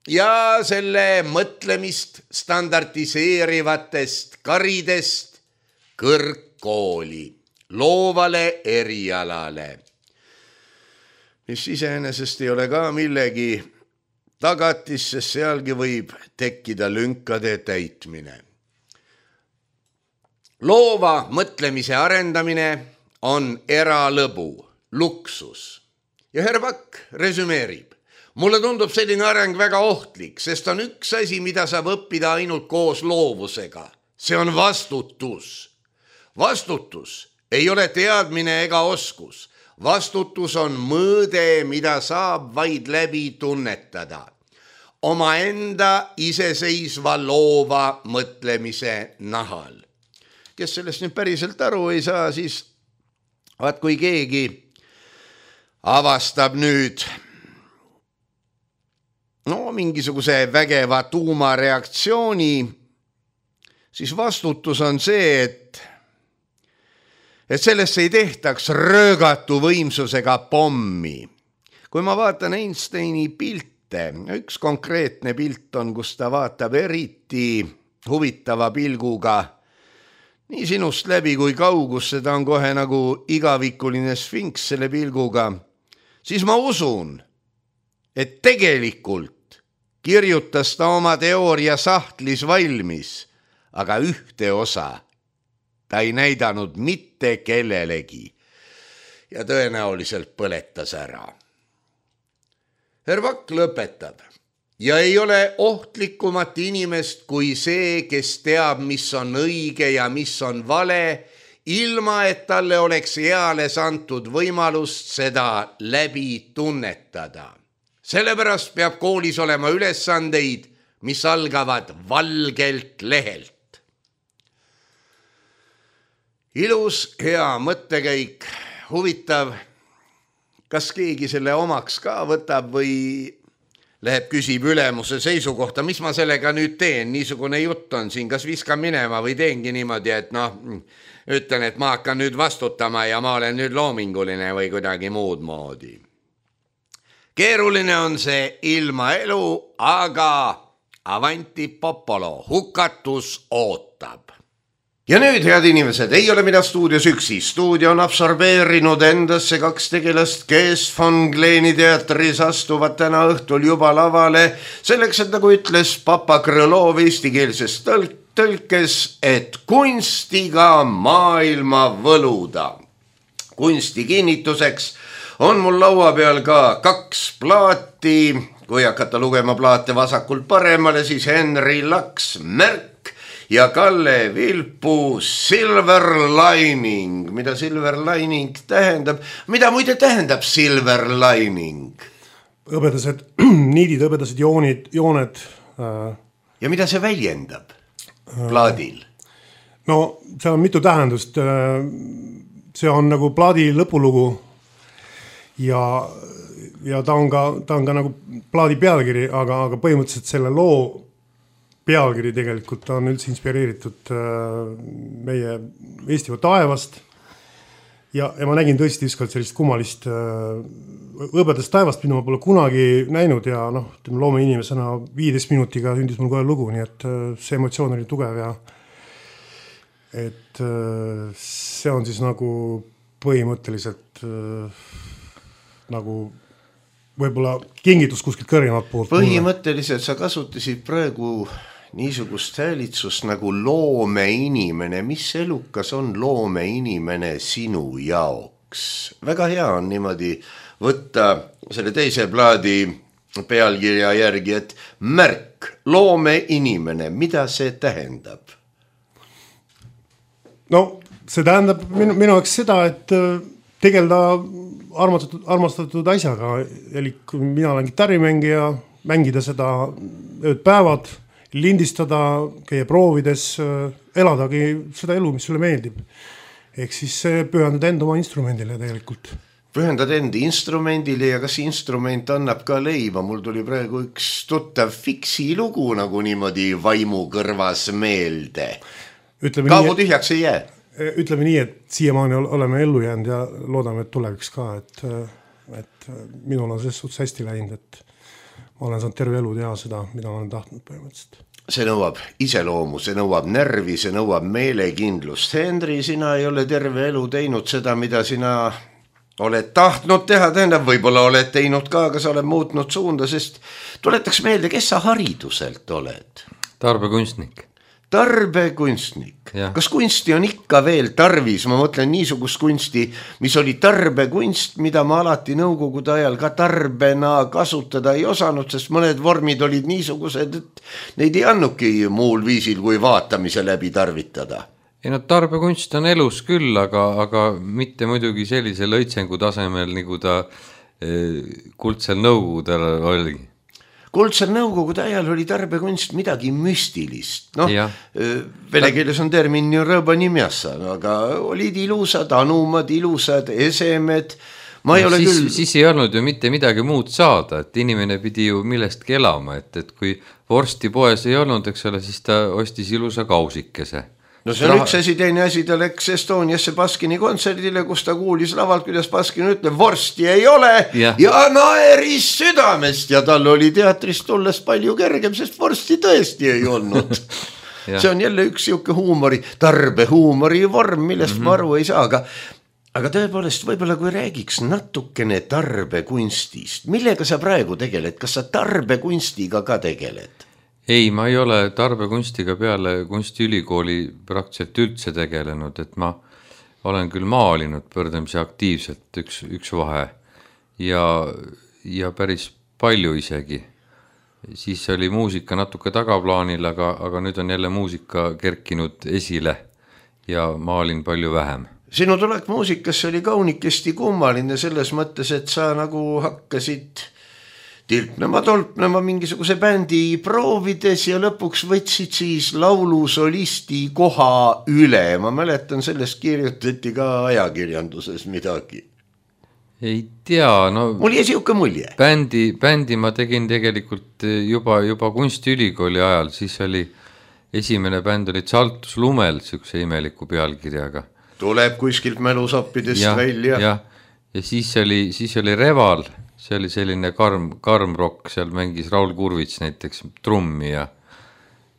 ja selle mõtlemist standardiseerivatest karidest kõrgkooli, loovale erialale, mis iseenesest ei ole ka millegi tagatis, sest sealgi võib tekkida lünkade täitmine. Loova mõtlemise arendamine on eralõbu, luksus. Ja Herbak resümeerib. Mulle tundub selline areng väga ohtlik, sest on üks asi, mida saab õppida ainult koos loovusega. See on vastutus. Vastutus ei ole teadmine ega oskus. Vastutus on mõõde, mida saab vaid läbi tunnetada. Omaenda iseseisva loova mõtlemise nahal. Kes sellest nüüd päriselt aru ei saa, siis vaat kui keegi avastab nüüd mingisuguse vägeva tuumareaktsiooni, siis vastutus on see, et sellesse ei tehtaks röögatu võimsusega pommi. Kui ma vaatan Einsteini pilte, üks konkreetne pilt on, kus ta vaatab eriti huvitava pilguga nii sinust läbi kui kaugusse, ta on kohe nagu igavikuline sfinks selle pilguga, siis ma usun, et tegelikult kirjutas ta oma teooria sahtlis valmis, aga ühte osa ta ei näidanud mitte kellelegi ja tõenäoliselt põletas ära. Herbak lõpetab. Ja ei ole ohtlikumat inimest kui see, kes teab, mis on õige ja mis on vale, ilma et talle oleks eales antud võimalust seda läbi tunnetada. Sellepärast peab koolis olema ülesandeid, mis algavad valgelt lehelt. Ilus, hea mõttekäik, huvitav, kas keegi selle omaks ka võtab või läheb küsib ülemuse seisukohta, mis ma sellega nüüd teen, niisugune jutt on siin, kas viskan minema või teengi niimoodi, et ütlen, et ma hakkan nüüd vastutama ja ma olen nüüd loominguline või kuidagi muud moodi. Keeruline on see ilmaelu, aga avanti popolo, hukatus ootab. Ja nüüd, head inimesed, ei ole mina stuudios üksi. Stuudio on absorbeerinud endasse 2 tegelast, kes Von Gleeni teatris astuvad täna õhtul juba lavale. Selleks, et nagu ütles Papa Krõlov eestikeelses tõlkes, et kunstiga maailma võluda. Kunsti kinnituseks on mul laua peal ka 2 plaati. Kui hakata lugema plaate vasakult paremale, siis Henri Laks Märk ja Kalle Vilpu Silver Lining. Mida Silver Lining tähendab? Mida muide tähendab Silver Lining?
Hõbedased niidid, hõbedased jooned.
Ja mida see väljendab plaadil?
No, see on mitu tähendust. See on nagu plaadi lõpulugu ja ta on ka nagu plaadi pealkiri, aga põhimõtteliselt selle loo pealkiri tegelikult on üldse inspireeritud meie Eestimaa taevast ja ma nägin tõesti ükskord sellist kummalist hõbedast taevast, mida ma pole kunagi näinud ja loome inimesena 15 minutiga sündis mul kohe lugu, nii et see emotsioon oli tugev ja et see on siis nagu põhimõtteliselt nagu võib-olla kingitus kuskilt kõrgemalt poolt.
Põhimõtteliselt sa kasutasid praegu niisugust häälitsust nagu loomeinimene. Mis elukas on loomeinimene sinu jaoks? Väga hea on niimoodi võtta selle teise plaadi pealkirja järgi, et märk, loomeinimene, mida see tähendab? No,
see tähendab minu jaoks seda, et tegelda armastatud asjaga, eli mina olen kitarrimängija, mängida seda ööd päevad, lindistada, käia proovides, eladagi seda elu, mis sulle meeldib. Ehk siis pühendada enda oma instrumendile tegelikult.
Pühendada enda instrumendile ja kas instrument annab ka leiva? Mul tuli praegu üks tuttav fiksi lugu nagu niimoodi vaimu kõrvas meelde. Kaabu tühjaks ei jää.
Ütleme nii, et siiamaani oleme ellu jäänud ja loodame, et tuleviks ka, et minul on selles suhtes hästi läinud, et ma olen saanud terve elu teha seda, mida ma olen tahtnud põhimõtteliselt.
See nõuab iseloomu, see nõuab närvi, see nõuab meelekindlust. Henri, sina ei ole terve elu teinud seda, mida sina oled tahtnud teha, tähendab, võib-olla oled teinud ka, aga sa oled muutnud suunda, sest tuletaks meelde, kes sa hariduselt oled?
Tarbekunstnik.
Tarbekunstnik. Kas kunsti on ikka veel tarvis? Ma mõtlen niisugust kunsti, mis oli tarbekunst, mida ma alati nõukogude ajal ka tarbena kasutada ei osanud, sest mõned vormid olid niisugused, et neid ei annuki muul viisil kui vaatamise läbi tarvitada.
Ei, no tarbekunst on elus küll, aga mitte muidugi sellise lõitsengu tasemel, nagu ta kuldsel nõukogudel oli.
Kuldsel nõukogude ajal oli tarbekunst midagi müstilist. Vene keeles on termin rõbanimjassa, aga olid ilusad anumad, ilusad esemed.
Siis ei olnud ju mitte midagi muud saada, et inimene pidi ju millestki elama, et kui vorsti poes ei olnud, eks ole, siis ta ostis ilusa kausikese.
No see on üks asi, teine asi, ta läks Estoniasse Baskini kontserdile, kus ta kuulis lavalt, kuidas Baskin ütleb, vorsti ei ole ja naeris südamest ja tal oli teatrist tulles palju kergem, sest vorsti tõesti ei olnud. See on jälle üks siuke huumori, tarbehuumori vorm, millest ma aru ei saa, aga tõepoolest võib-olla kui räägiks natukene tarbekunstist, millega sa praegu tegeled, kas sa tarbekunstiga ka tegeled?
Ei, ma ei ole tarbekunstiga peale kunstiülikooli praktiliselt üldse tegelenud, et ma olen küll maalinud pöördamisi aktiivselt üks vahe ja päris palju isegi. Siis oli muusika natuke tagaplaanil, aga nüüd on jälle muusika kerkinud esile ja maalin palju vähem.
Sinu tulek muusikasse oli kaunikesti kummaline selles mõttes, et sa nagu hakkasid tolpnema mingisuguse bändi proovides ja lõpuks võtsid siis laulusolisti koha üle. Ma mäletan, sellest kirjutati ka ajakirjanduses midagi.
Ei tea, no...
Mul jäi siuke mulje.
Bändi ma tegin tegelikult juba kunstiülikooli ajal, siis oli esimene bänd oli Tsaltus Lumel, siukse imeliku pealkirjaga.
Tuleb kuskilt mälusappidest välja.
Ja siis oli Reval. See oli selline karm rock, seal mängis Raul Kurvits näiteks trummi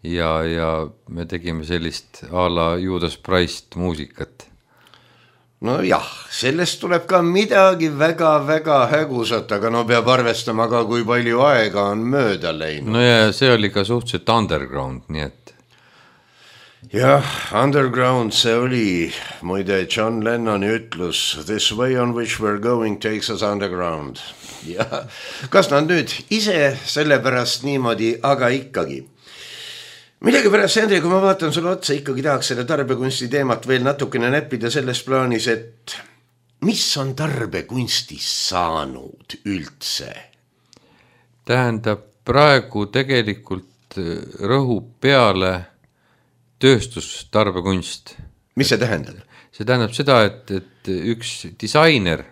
ja me tegime sellist a la Judas Priest muusikat.
No jah, sellest tuleb ka midagi väga-väga hägusat, aga no peab arvestama ka, kui palju aega on mööda läinud.
No ja see oli ka suhteliselt underground, nii et.
Jah, underground see oli, muide John Lennoni ütlus, this way on which we're going takes us underground. Ja kas nad nüüd ise sellepärast niimoodi, aga ikkagi. Midagi pärast, Henri, kui ma vaatan sulle otsa, ikkagi tahaks selle tarbekunsti teemat veel natukene näppida selles plaanis, et mis on tarbekunstist saanud üldse?
Tähendab, praegu tegelikult rõhub peale tööstustarbekunst.
Mis see tähendab?
See tähendab seda, et üks disainer,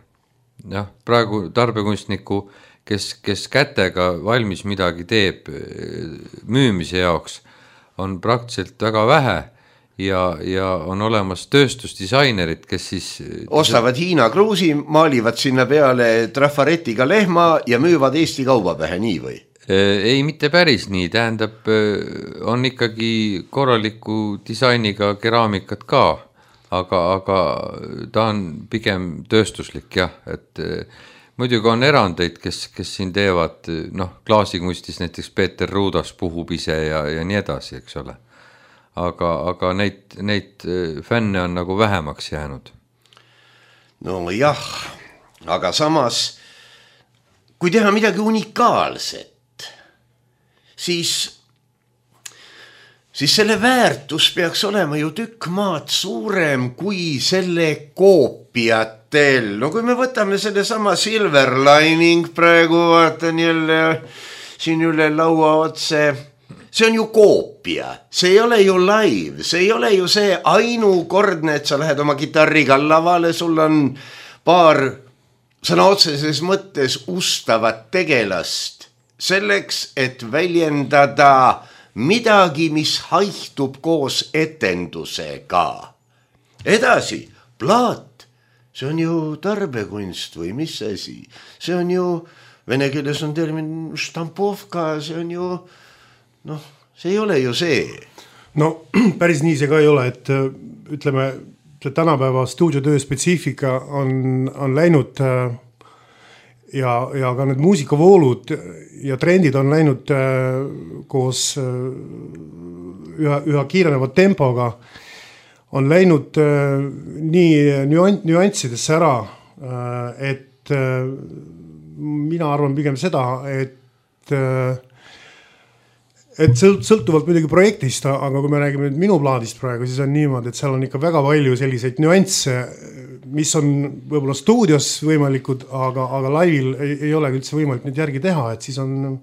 praegu tarbekunstniku, kes kätega valmis midagi teeb müümise jaoks, on praktiliselt väga vähe ja on olemas tööstusdisainerid, kes siis
ostavad Hiina kruusi, maalivad sinna peale trafaretiga lehma ja müüvad Eesti kaubapähe, nii või?
Ei, mitte päris nii, tähendab, on ikkagi korraliku disainiga keraamikat ka, aga ta on pigem tööstuslik, jah, et muidugi on erandeid, kes siin teevad, klaasikunstis näiteks Peeter Ruudas puhub ise ja nii edasi, eks ole. Aga neid fänne on nagu vähemaks jäänud.
No jah, aga samas, kui teha midagi unikaalset, siis selle väärtus peaks olema ju tükk maad suurem kui selle koopiatel. No kui me võtame selle sama Silver Lining praegu, vaatan jälle siin üle laua otse, see on ju koopia, see ei ole ju live, see ei ole ju see ainukordne, et sa lähed oma kitarriga lavale, sul on paar sõna otseses mõttes ustavat tegelast selleks, et väljendada midagi, mis haihtub koos etendusega. Edasi, plaat. See on ju tarbekunst või mis asi? See on ju, vene keeles on termin štampovka, see on ju, see ei ole ju see.
No päris nii see ka ei ole, et ütleme, see tänapäeva stuudiotöö spetsiifika on läinud ja ka need muusikavoolud ja trendid on läinud koos üha kiireneva tempoga, on läinud nii nüanssidesse ära, et mina arvan pigem seda, et sõltuvalt muidugi projektist, aga kui me räägime nüüd minu plaadist praegu, siis on niimoodi, et seal on ikka väga palju selliseid nüansse, mis on võib-olla stuudios võimalikud, aga laivil ei ole üldse võimalik neid järgi teha, et siis on,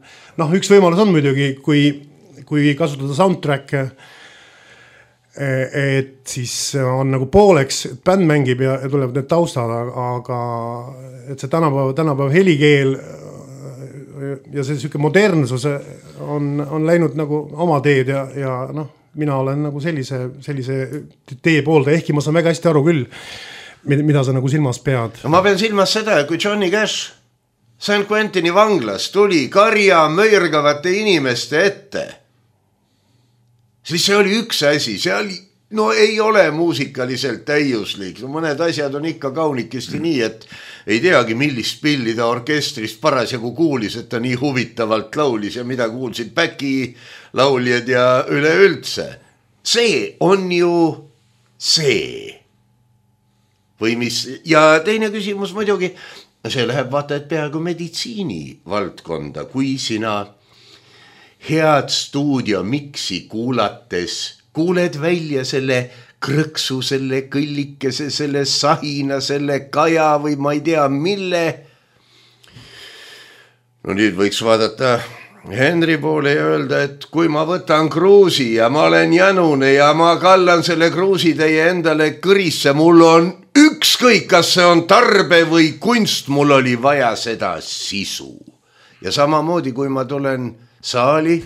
üks võimalus on muidugi, kui kasutada soundtrack'e, et siis on nagu pooleks, et bänd mängib ja tulevad need taustad, aga et see tänapäeva helikeel ja see selline modernsus on läinud nagu oma teed ja mina olen nagu sellise tee poolda, ehkki ma saan väga hästi aru küll, mida sa nagu silmas pead.
Ma pean silmas seda, kui Johnny Cash St. Quentini vanglas tuli karja möirgavate inimeste ette, siis see oli üks asi, see oli, ei ole muusikaliselt täiuslik, mõned asjad on ikka kaunikesti nii, et ei teagi, millist pilli ta orkestrist parasjagu kuulis, et ta nii huvitavalt laulis ja mida kuulsid Päki lauljad ja üleüldse. See on ju see. Või mis, ja teine küsimus muidugi, see läheb vaata, et peaaegu meditsiini valdkonda, kui sina head stuudiomiksi kuulates kuuled välja selle krõksu, selle kõllikese, selle sahina, selle kaja või ma ei tea mille. No nüüd võiks vaadata Henri poole ja öelda, et kui ma võtan kruusi ja ma olen jänune ja ma kallan selle kruusi teie endale kõrisse, mul on ükskõik, kas see on tarbe või kunst, mul oli vaja seda sisu. Ja samamoodi, kui ma tulen saali,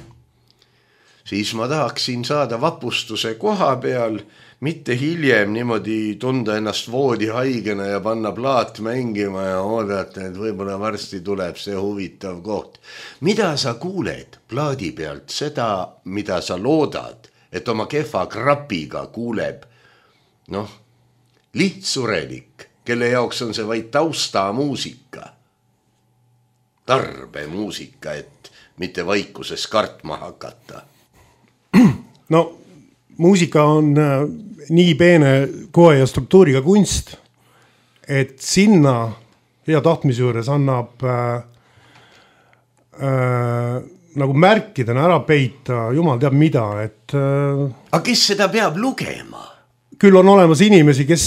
siis ma tahaksin saada vapustuse koha peal, mitte hiljem niimoodi tunda ennast voodihaigena ja panna plaat mängima ja oodata, et võib-olla varsti tuleb see huvitav koht. Mida sa kuuled plaadi pealt? Seda, mida sa loodad, et oma kehva krapiga kuuleb, lihtsurelik, kelle jaoks on see vaid taustamuusika, tarbemuusika, et mitte vaikuses kartma hakata.
No muusika on nii peene koe ja struktuuriga kunst, et sinna hea tahtmise juures annab nagu märkidena ära peita, jumal teab mida, et
aga kes seda peab lugema?
Küll on olemas inimesi, kes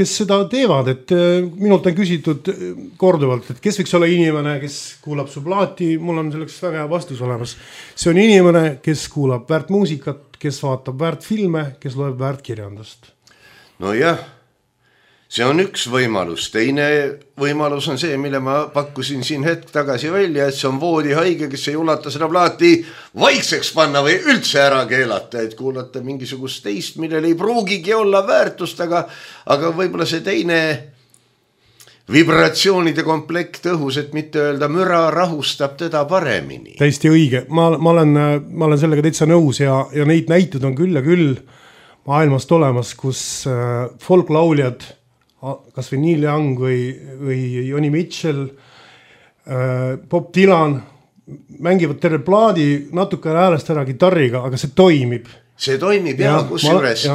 seda teevad, et minult on küsitud korduvalt, et kes võiks olla inimene, kes kuulab su plaati, mul on selleks väga hea vastus olemas. See on inimene, kes kuulab väärt muusikat, kes vaatab väärt filme, kes loeb väärt kirjandust.
No jah, see on üks võimalus. Teine võimalus on see, mille ma pakkusin siin hetk tagasi välja, et see on voodihaige, kes ei ulata seda plaati vaikseks panna või üldse ära keelata, et kuulata mingisugust teist, millel ei pruugigi olla väärtust, aga võib-olla see teine vibratsioonide komplekt õhus, et mitte öelda müra, rahustab teda paremini.
Täiesti õige. Ma olen sellega täitsa nõus ja neid näitud on küll ja küll maailmast olemas, kus folklauljad, kas või Neil Young või Joni Mitchell, Bob Dylan mängivad terve plaadi natukene häälest ära gitarriga, aga see toimib.
See toimib ja kus juures.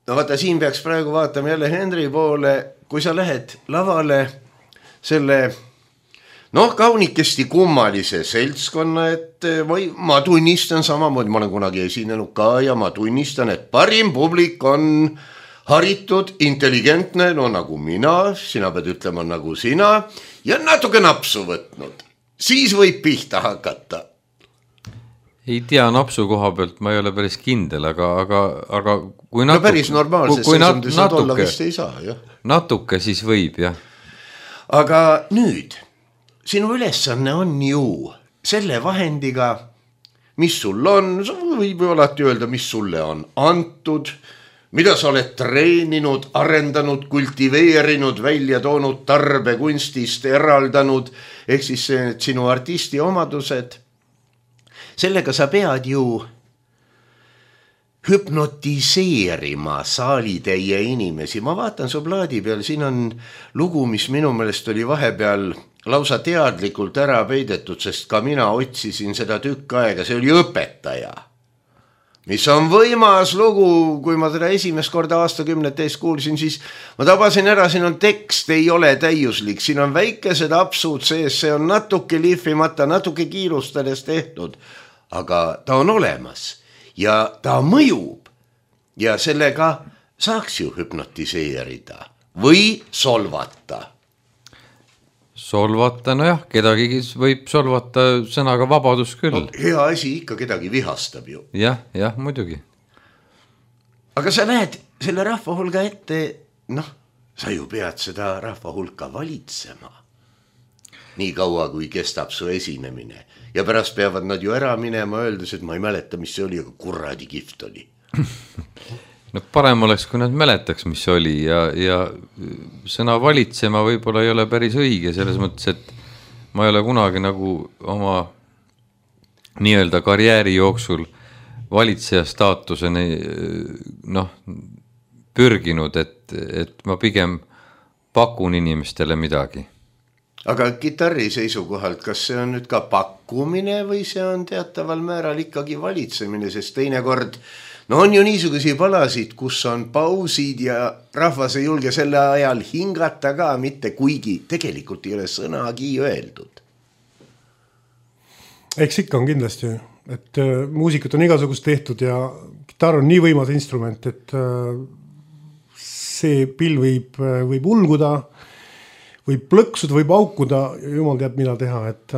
No vaata, siin peaks praegu vaatama jälle Henry poole, kui sa lähed lavale selle kaunikesti kummalise seltskonna, et ma tunnistan samamoodi, ma olen kunagi esinenud ka ja ma tunnistan, et parim publik on haritud, intelligentne, nagu mina, sina pead ütlema nagu sina, ja natuke napsu võtnud. Siis võib pihta hakata.
Ei tea, napsu koha pealt ma ei ole päris kindel, aga kui natuke...
No päris normaalses seisundused olla vist ei saa, jah.
Natuke siis võib, jah.
Aga nüüd, sinu ülesanne on ju selle vahendiga, mis sul on, võib ju alati öelda, mis sulle on antud, mida sa oled treeninud, arendanud, kultiveerinud, välja toonud, tarbekunstist eraldanud, ehk siis sinu artisti omadused. Sellega sa pead ju hüpnotiseerima saalitäie inimesi. Ma vaatan su plaadi peal, siin on lugu, mis minu meelest oli vahepeal lausa teadlikult ära peidetud, sest ka mina otsisin seda tükk aega, see oli Õpetaja. Mis on võimas lugu, kui ma teda esimest korda aastakümnete eest kuulsin, siis ma tabasin ära, siin on tekst, ei ole täiuslik, siin on väikesed apsud sees, see on natuke lihvimata, natuke kiirustades tehtud, aga ta on olemas ja ta mõjub ja sellega saaks ju hüpnotiseerida või solvata.
Solvata, nojah, kedagi võib solvata sõnaga vabadus küll.
No, hea asi ikka kedagi vihastab ju.
Jah, muidugi.
Aga sa näed selle rahva hulga ette, sa ju pead seda rahva hulka valitsema. Nii kaua, kui kestab su esinemine. Ja pärast peavad nad ju ära minema, öeldes, et ma ei mäleta, mis see oli, aga kuradi kihvt oli.
No parem oleks, kui nad mäletaks, mis oli ja sõna valitsema võib-olla ei ole päris õige, selles mõttes, et ma ei ole kunagi nagu oma nii-öelda karjääri jooksul valitseja staatuseni pürginud, et ma pigem pakun inimestele midagi.
Aga kitarri seisukohalt, kas see on nüüd ka pakkumine või see on teataval määral ikkagi valitsemine, sest teinekord on ju niisugusi palasid, kus on pausid ja rahvas ei julge selle ajal hingata ka mitte, kuigi tegelikult ei ole sõnagi öeldud.
Eks ikka on kindlasti, et muusikat on igasugust tehtud ja kitarr on nii võimas instrument, et see pill võib ulguda, võib plõksuda, võib aukuda, jumal teab mida teha, et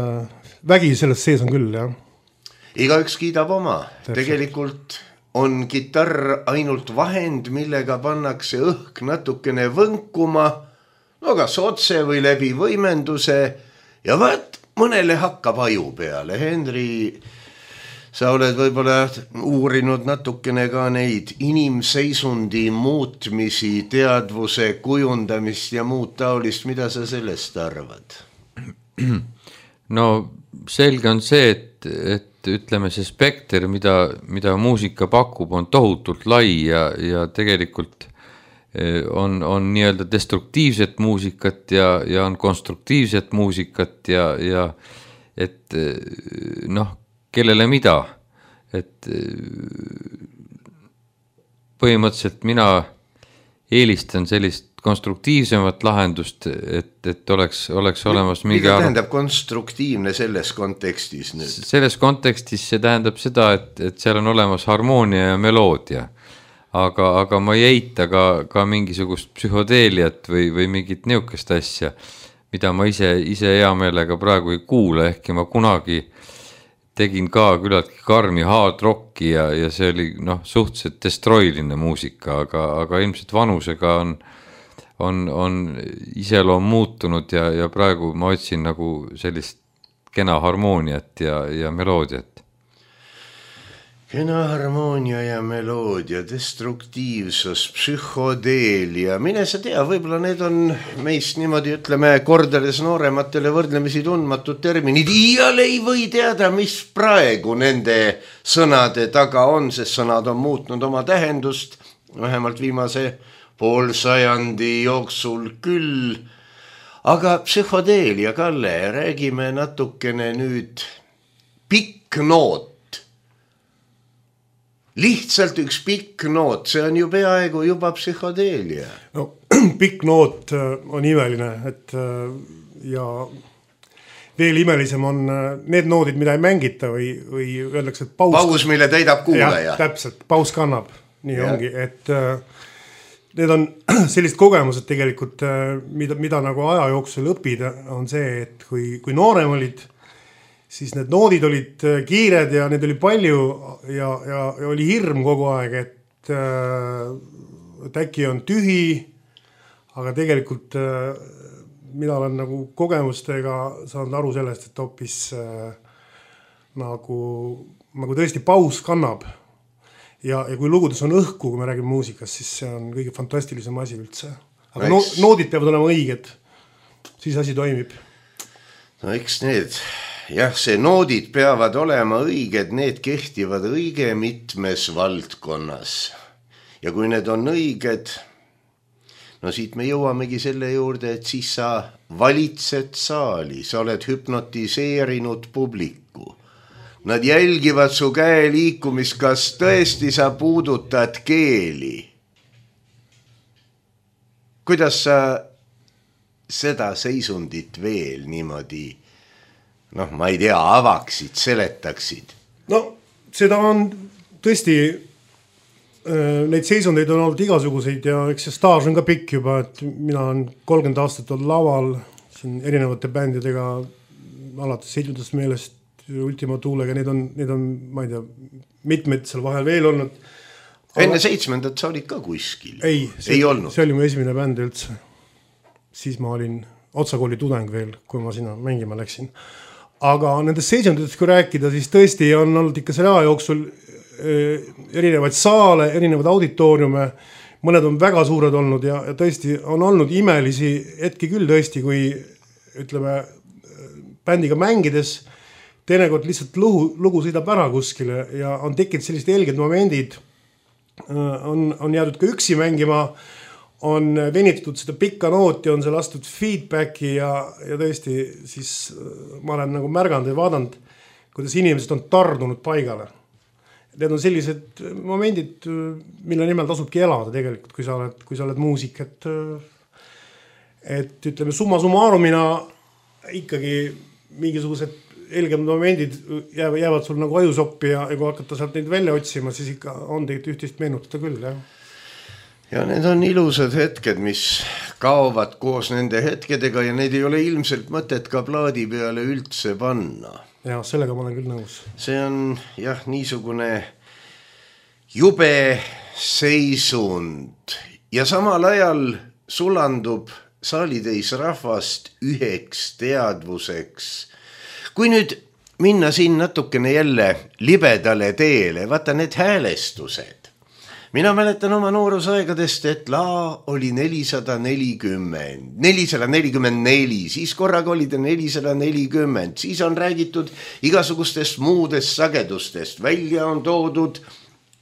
vägi sellest sees on küll, jah.
Igaüks kiidab oma, tegelikult on kitarr ainult vahend, millega pannakse õhk natukene võnkuma, kas otse või läbi võimenduse ja mõnele hakkab aju peale. Henry, sa oled võib-olla uurinud natukene ka neid inimseisundi muutmisi, teadvuse kujundamist ja muud taolist, mida sa sellest arvad?
No selge on see, et ütleme see spekter, mida muusika pakub, on tohutult lai ja tegelikult on nii-öelda destruktiivset muusikat ja on konstruktiivset muusikat ja et noh, kellele mida, et põhimõtteliselt mina eelistan sellist konstruktiivsemat lahendust, et oleks olemas mingi
mida tähendab konstruktiivne selles kontekstis nüüd?
Selles kontekstis see tähendab seda, et seal on olemas harmoonia ja meloodia, aga ma ei eita ka mingisugust psühhodeeliat või mingit niukest asja, mida ma ise hea meelega praegu ei kuula, ehkki ma kunagi tegin ka küllaltki karmi hard rocki ja see oli suhteliselt destroiline muusika, aga ilmselt vanusega on iseloom muutunud ja praegu ma otsin nagu sellist kena harmooniat ja meloodiat.
Kena harmoonia ja meloodia, destruktiivsus, psühhodeelia, mine sa tea, võib-olla need on meist niimoodi, ütleme, kordades noorematele võrdlemisi tundmatud terminid. Iial ei või teada, mis praegu nende sõnade taga on, sest sõnad on muutnud oma tähendust, vähemalt viimase poolsajandi jooksul küll. Aga psühhodeelia, Kalle, räägime natukene nüüd pikk noot. Lihtsalt üks pikk noot, see on ju peaaegu juba psühhodeelia.
No, pikk noot on imeline, et ja veel imelisem on need noodid, mida ei mängita või öeldakse, et
paus, mille täidab kuulaja.
Täpselt, paus kannab, nii ongi, et need on sellist kogemused tegelikult, mida nagu aja jooksul õppida, on see, et kui noorem olid, siis need noodid olid kiired ja need oli palju ja oli hirm kogu aeg, et äkki on tühi, aga tegelikult mina olen nagu kogemustega saanud aru sellest, et hoopis nagu tõesti paus kannab. Ja kui lugudes on õhku, kui me räägime muusikast, siis see on kõige fantastilisem asi üldse. Aga noodid peavad olema õiged, siis asi toimib.
No eks need... Jah, see noodid peavad olema õiged, need kehtivad õige mitmes valdkonnas. Ja kui need on õiged, no siit me jõuamegi selle juurde, et siis sa valitsed saali, sa oled hüpnotiseerinud publiku. Nad jälgivad su käe liikumist, kas tõesti sa puudutad keeli. Kuidas sa seda seisundit veel niimoodi ma ei tea, avaksid, seletaksid?
No, seda on tõesti, neid seisundeid on olnud igasuguseid ja eks see staaž on ka pikk juba, et mina olen 30 aastat olnud laval siin erinevate bändidega, alates 7. meelest, Ultima Tuulega, need on, ma ei tea, mitmed seal vahel veel olnud.
Enne 7. sa olid ka kuskil?
Ei olnud. See oli mu esimene bänd üldse. Siis ma olin otsakooli tudeng veel, kui ma sinna mängima läksin. Aga nendest seisunditest, kui rääkida, siis tõesti on olnud ikka selle aja jooksul erinevaid saale, erinevaid auditooriume, mõned on väga suured olnud ja tõesti on olnud imelisi hetki küll tõesti, kui ütleme bändiga mängides teinekord lihtsalt lugu sõidab ära kuskile ja on tekkinud sellised helged momendid, on jäädud ka üksi mängima, on venitatud seda pikka nooti, on seal astud feedbacki ja tõesti siis ma olen nagu märganud ja vaadanud, kuidas inimesed on tardunud paigale. Need on sellised momendid, mille nimel tasubki elada tegelikult, kui sa oled muusik, et ütleme summa summarumina ikkagi mingisugused helgemad momendid jäävad sul nagu ajusoppi ja kui hakata sealt neid välja otsima, siis ikka on tegelikult ühtist meenutada küll, jah.
Ja need on ilusad hetked, mis kaovad koos nende hetkedega ja need ei ole ilmselt mõtet ka plaadi peale üldse panna.
Ja, sellega ma olen küll nõus.
See on jah niisugune jube seisund ja samal ajal sulandub saalitäis rahvast üheks teadvuseks. Kui nüüd minna siin natukene jälle libedale teele, vaata need häälestused. Mina mäletan oma noorusaegadest, et laa oli 444, siis korraga oli ta 440, siis on räägitud igasugustest muudest sagedustest, välja on toodud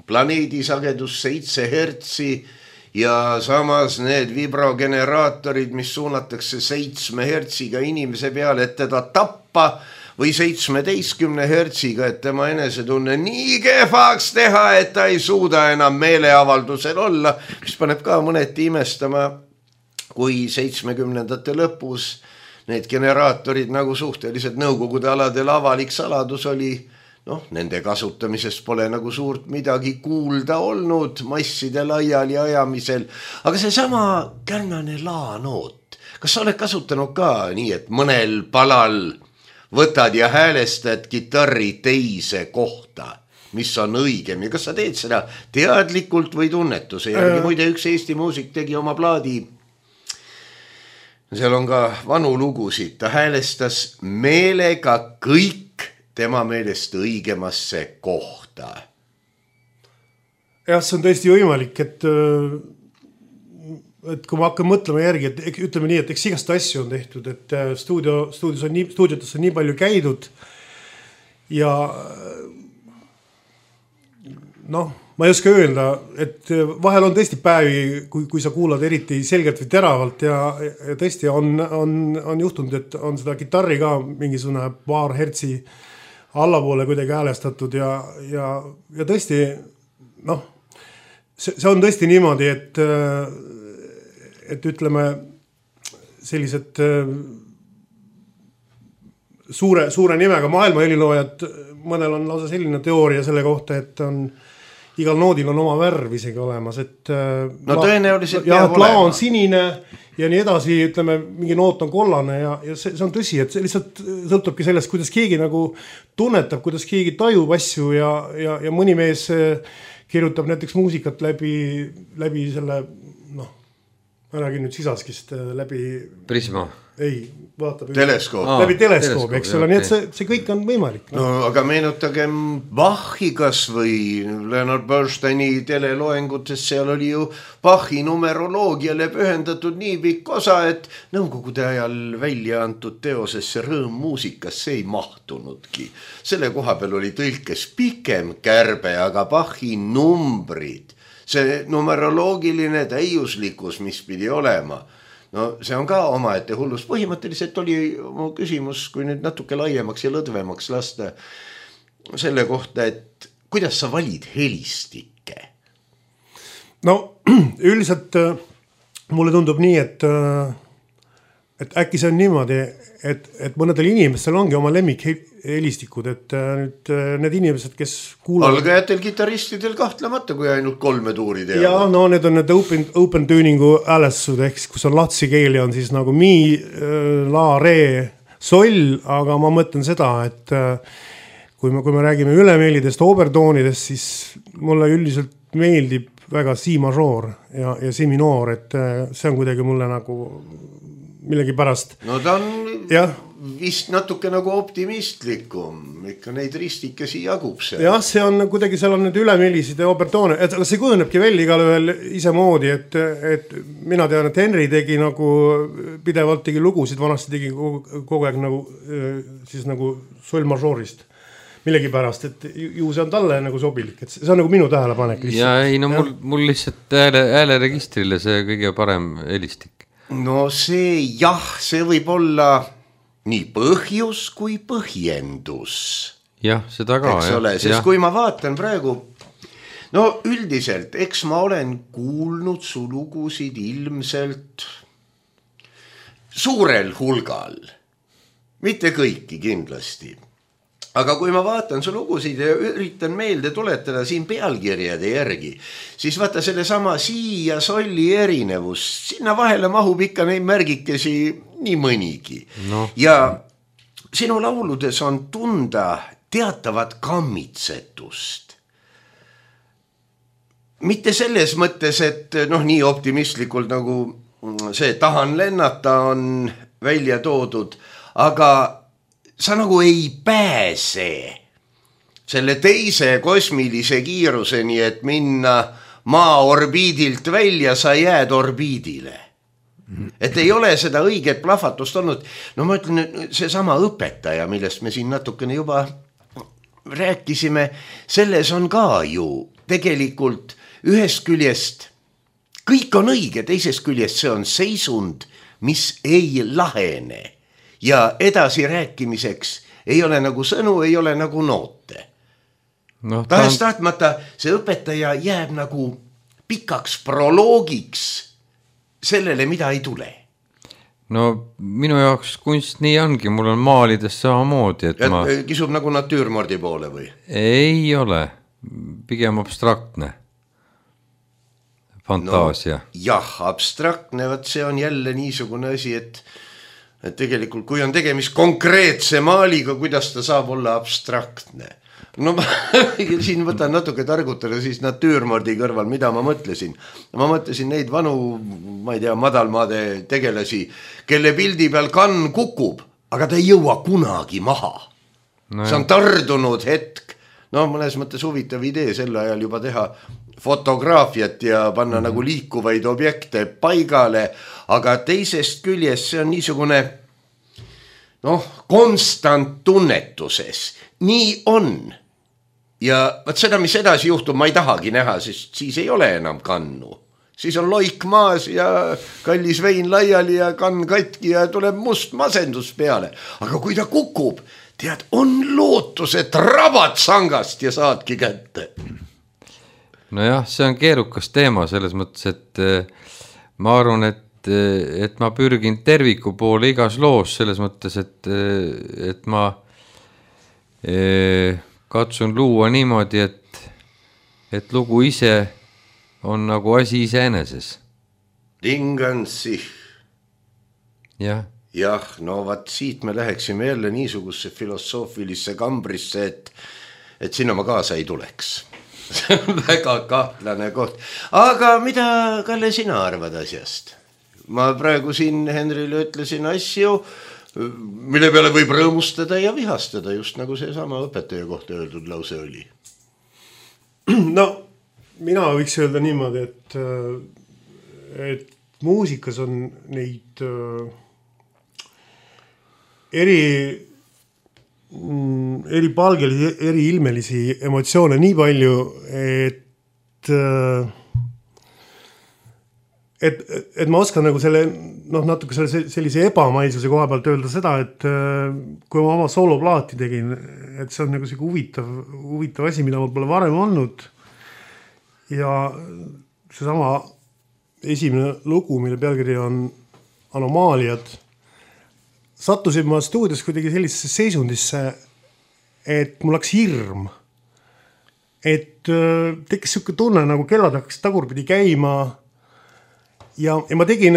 planeedi sagedus 7 hertsi ja samas need vibrogeneraatorid, mis suunatakse 7 hertsiga inimese peale, et teda tappa või 17 hertsiga, et tema enesetunne nii kehvaks teha, et ta ei suuda enam meeleavaldusel olla, mis paneb ka mõneti imestama, kui 70ndate lõpus need generaatorid nagu suhteliselt nõukogude aladel avalik saladus oli, nende kasutamisest pole nagu suurt midagi kuulda olnud masside laiali ajamisel, aga seesama kärnane laanoot, kas sa oled kasutanud ka nii, et mõnel palal võtad ja häälestad kitarri teise kohta, mis on õigem ja kas sa teed seda teadlikult või tunnetuse järgi? Muide, üks Eesti muusik tegi oma plaadi, seal on ka vanu lugusid, ta häälestas meelega kõik tema meelest õigemasse kohta.
Jah, see on tõesti võimalik, et kui ma hakkan mõtlema järgi, et ütleme nii, et eks igast asju on tehtud, et stuudiotes on nii palju käidud ja ma ei oska öelda, et vahel on tõesti päevi, kui sa kuulad eriti selgelt või teravalt ja tõesti on juhtunud, et on seda kitarri ka mingisugune paar hertsi allapoole kuidagi häälestatud ja tõesti, see on tõesti niimoodi, et ütleme sellised suure nimega maailma heliloojad, mõnel on lausa selline teooria selle kohta, et igal noodil on oma värv isegi olemas, et
tõenäoliselt
peab olema. On sinine ja nii edasi, ütleme, mingi noot on kollane ja see on tõsi, et see lihtsalt sõltubki sellest, kuidas keegi nagu tunnetab, kuidas keegi tajub asju ja mõni mees kirjutab näiteks muusikat läbi selle, räägin nüüd Sisaskist läbi
Prisma.
Ei, vaatab
teleskoop.
Läbi teleskoop, eks ole, nii et see kõik on võimalik.
Aga meenutagem Bachi kas või Leonard Bernsteini teleloengutes, seal oli ju Bachi numeroloogiale pühendatud nii pikk osa, et nõukogude ajal välja antud teosesse Rõõm muusikasse ei mahtunudki. Selle koha peal oli tõlkes pikem kärbe, aga Bachi numbrid, see numeroloogiline täiuslikkus, mis pidi olema, see on ka omaette hullus. Põhimõtteliselt oli mu küsimus, kui nüüd natuke laiemaks ja lõdvemaks lasta selle kohta, et kuidas sa valid helistikke?
Üldiselt mulle tundub nii, et äkki see on niimoodi, et mõnedel inimestel ongi oma lemmikhelistikud, et nüüd need inimesed, kes kuulavad...
Algajatel kitaristidel kahtlemata, kui ainult 3 tuuri teavad.
Ja need on need open tuningu häälestused, ehk kus on latsi keeli on siis nagu mi, la, re, soll, aga ma mõtlen seda, et kui me räägime ülemeelidest, obertoonidest, siis mulle üldiselt meeldib väga si mažoor ja si minoor, et see on kuidagi mulle nagu millegi pärast.
Ta on vist natuke nagu optimistlikum, ikka neid ristikesi jagub see.
Jah, see on kuidagi, seal on need ülemeelisid ja obertoone, et see kujunebki välja igal ühel ise moodi, et mina tean, et Henry tegi nagu pidevalt tegi lugusid, vanasti tegi kogu aeg nagu siis nagu sol mažoorist millegi pärast, et ju see on talle nagu sobilik, et see on nagu minu tähelepanek.
Ja ei, mul lihtsalt hääleregistrile see kõige parem helistik.
See võib olla nii põhjus kui põhjendus.
Jah, seda ka.
Eks ole, sest kui ma vaatan praegu, üldiselt, eks ma olen kuulnud su lugusid ilmselt suurel hulgal. Mitte kõiki kindlasti. Aga kui ma vaatan su lugusid ja üritan meelde tuletada siin pealkirjade järgi, siis vaata selle sama si ja solli erinevus, sinna vahele mahub ikka neid märgikesi nii mõnigi. Ja sinu lauludes on tunda teatavat kammitsetust. Mitte selles mõttes, et nii optimistlikult nagu see tahan lennata on välja toodud, aga sa nagu ei pääse selle teise kosmilise kiiruseni, et minna maa orbiidilt välja, sa jääd orbiidile. Et ei ole seda õiget plahvatust olnud. No ma ütlen, see sama õpetaja, millest me siin natukene juba rääkisime, selles on ka ju tegelikult ühest küljest kõik on õige, teisest küljest see on seisund, mis ei lahene ja edasi rääkimiseks ei ole nagu sõnu, ei ole nagu noote. No, tahes tahtmata see õpetaja jääb nagu pikaks proloogiks sellele, mida ei tule.
No minu jaoks kunst nii ongi, mul on maalides samamoodi, et ma...
Kisub nagu natüürmordi poole või?
Ei ole, pigem abstraktne fantaasia. No,
jah, abstraktne, võt see on jälle niisugune asi, et tegelikult kui on tegemist konkreetse maaliga, kuidas ta saab olla abstraktne? No ma siin võtan natuke targutada siis natüürmordi kõrval, mida ma mõtlesin. Ma mõtlesin neid vanu, ma ei tea, madalmaade tegelasi, kelle pildi peal kann kukub, aga ta ei jõua kunagi maha. No see on tardunud hetk. No mõnes mõttes huvitav idee sel ajal juba teha fotograafiat ja panna nagu liikuvaid objekte paigale, aga teisest küljest see on niisugune konstant tunnetuses. Nii on. Ja võt seda, mis edasi juhtub, ma ei tahagi näha, sest siis ei ole enam kannu. Siis on loik maas ja kallis vein laiali ja kann katki ja tuleb must masendus peale. Aga kui ta kukub, tead, on lootus, et rabad sangast ja saadki kätte.
Nojah, see on keerukas teema selles mõttes, et ma arvan, et ma pürgin terviku poole igas loos selles mõttes, et ma katsun luua niimoodi, et lugu ise on nagu asi iseeneses.
Tingan sich.
Jah.
Jah, no vaat siit me läheksime jälle niisugusesse filosoofilisse kambrisse, et sinna ma kaasa ei tuleks. See on väga kahtlane koht. Aga mida, Kalle, sina arvad asjast? Ma praegu siin Henrile ütlesin asju, mille peale võib rõõmustada ja vihastada, just nagu see sama õpetaja kohta öeldud lause oli.
No, mina võiks öelda niimoodi, et muusikas on neid eri palgelisi, eri ilmelisi emotsioone nii palju, et ma oskan nagu selle, natuke sellise ebamaisuse koha pealt öelda seda, et kui ma oma sooloplaati tegin, et see on nagu selline huvitav asi, mida ma pole varem olnud. Ja seesama esimene lugu, mille pealkiri on Anomaaliad, sattusin ma stuudios kuidagi sellisesse seisundisse, et mul läks hirm. Et tekkis selline tunne, nagu kellad hakkas tagurpidi käima. Ja ma tegin,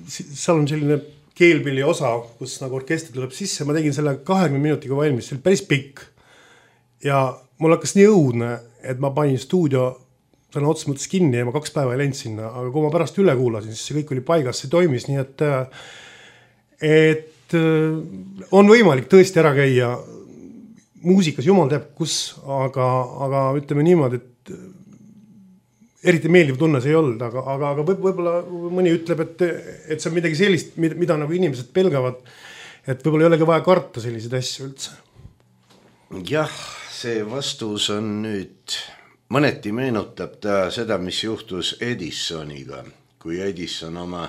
seal on selline keelpilli osa, kus nagu orkester tuleb sisse, ma tegin selle 20 minutiga valmis, see oli päris pikk. Ja mul hakkas nii õudne, et ma panin stuudio selle otsa mõttes kinni ja ma 2 päeva ei läinud sinna, aga kui ma pärast üle kuulasin, siis see kõik oli paigas, see toimis, nii et on võimalik tõesti ära käia muusikas, jumal teab kus, aga ütleme niimoodi, et eriti meeldiv tunne see ei olnud, aga võib-olla mõni ütleb, et see on midagi sellist, mida nagu inimesed pelgavad, et võib-olla ei olegi vaja karta selliseid asju üldse.
Jah, see vastus on nüüd, mõneti meenutab ta seda, mis juhtus Edisoniga, kui Edison oma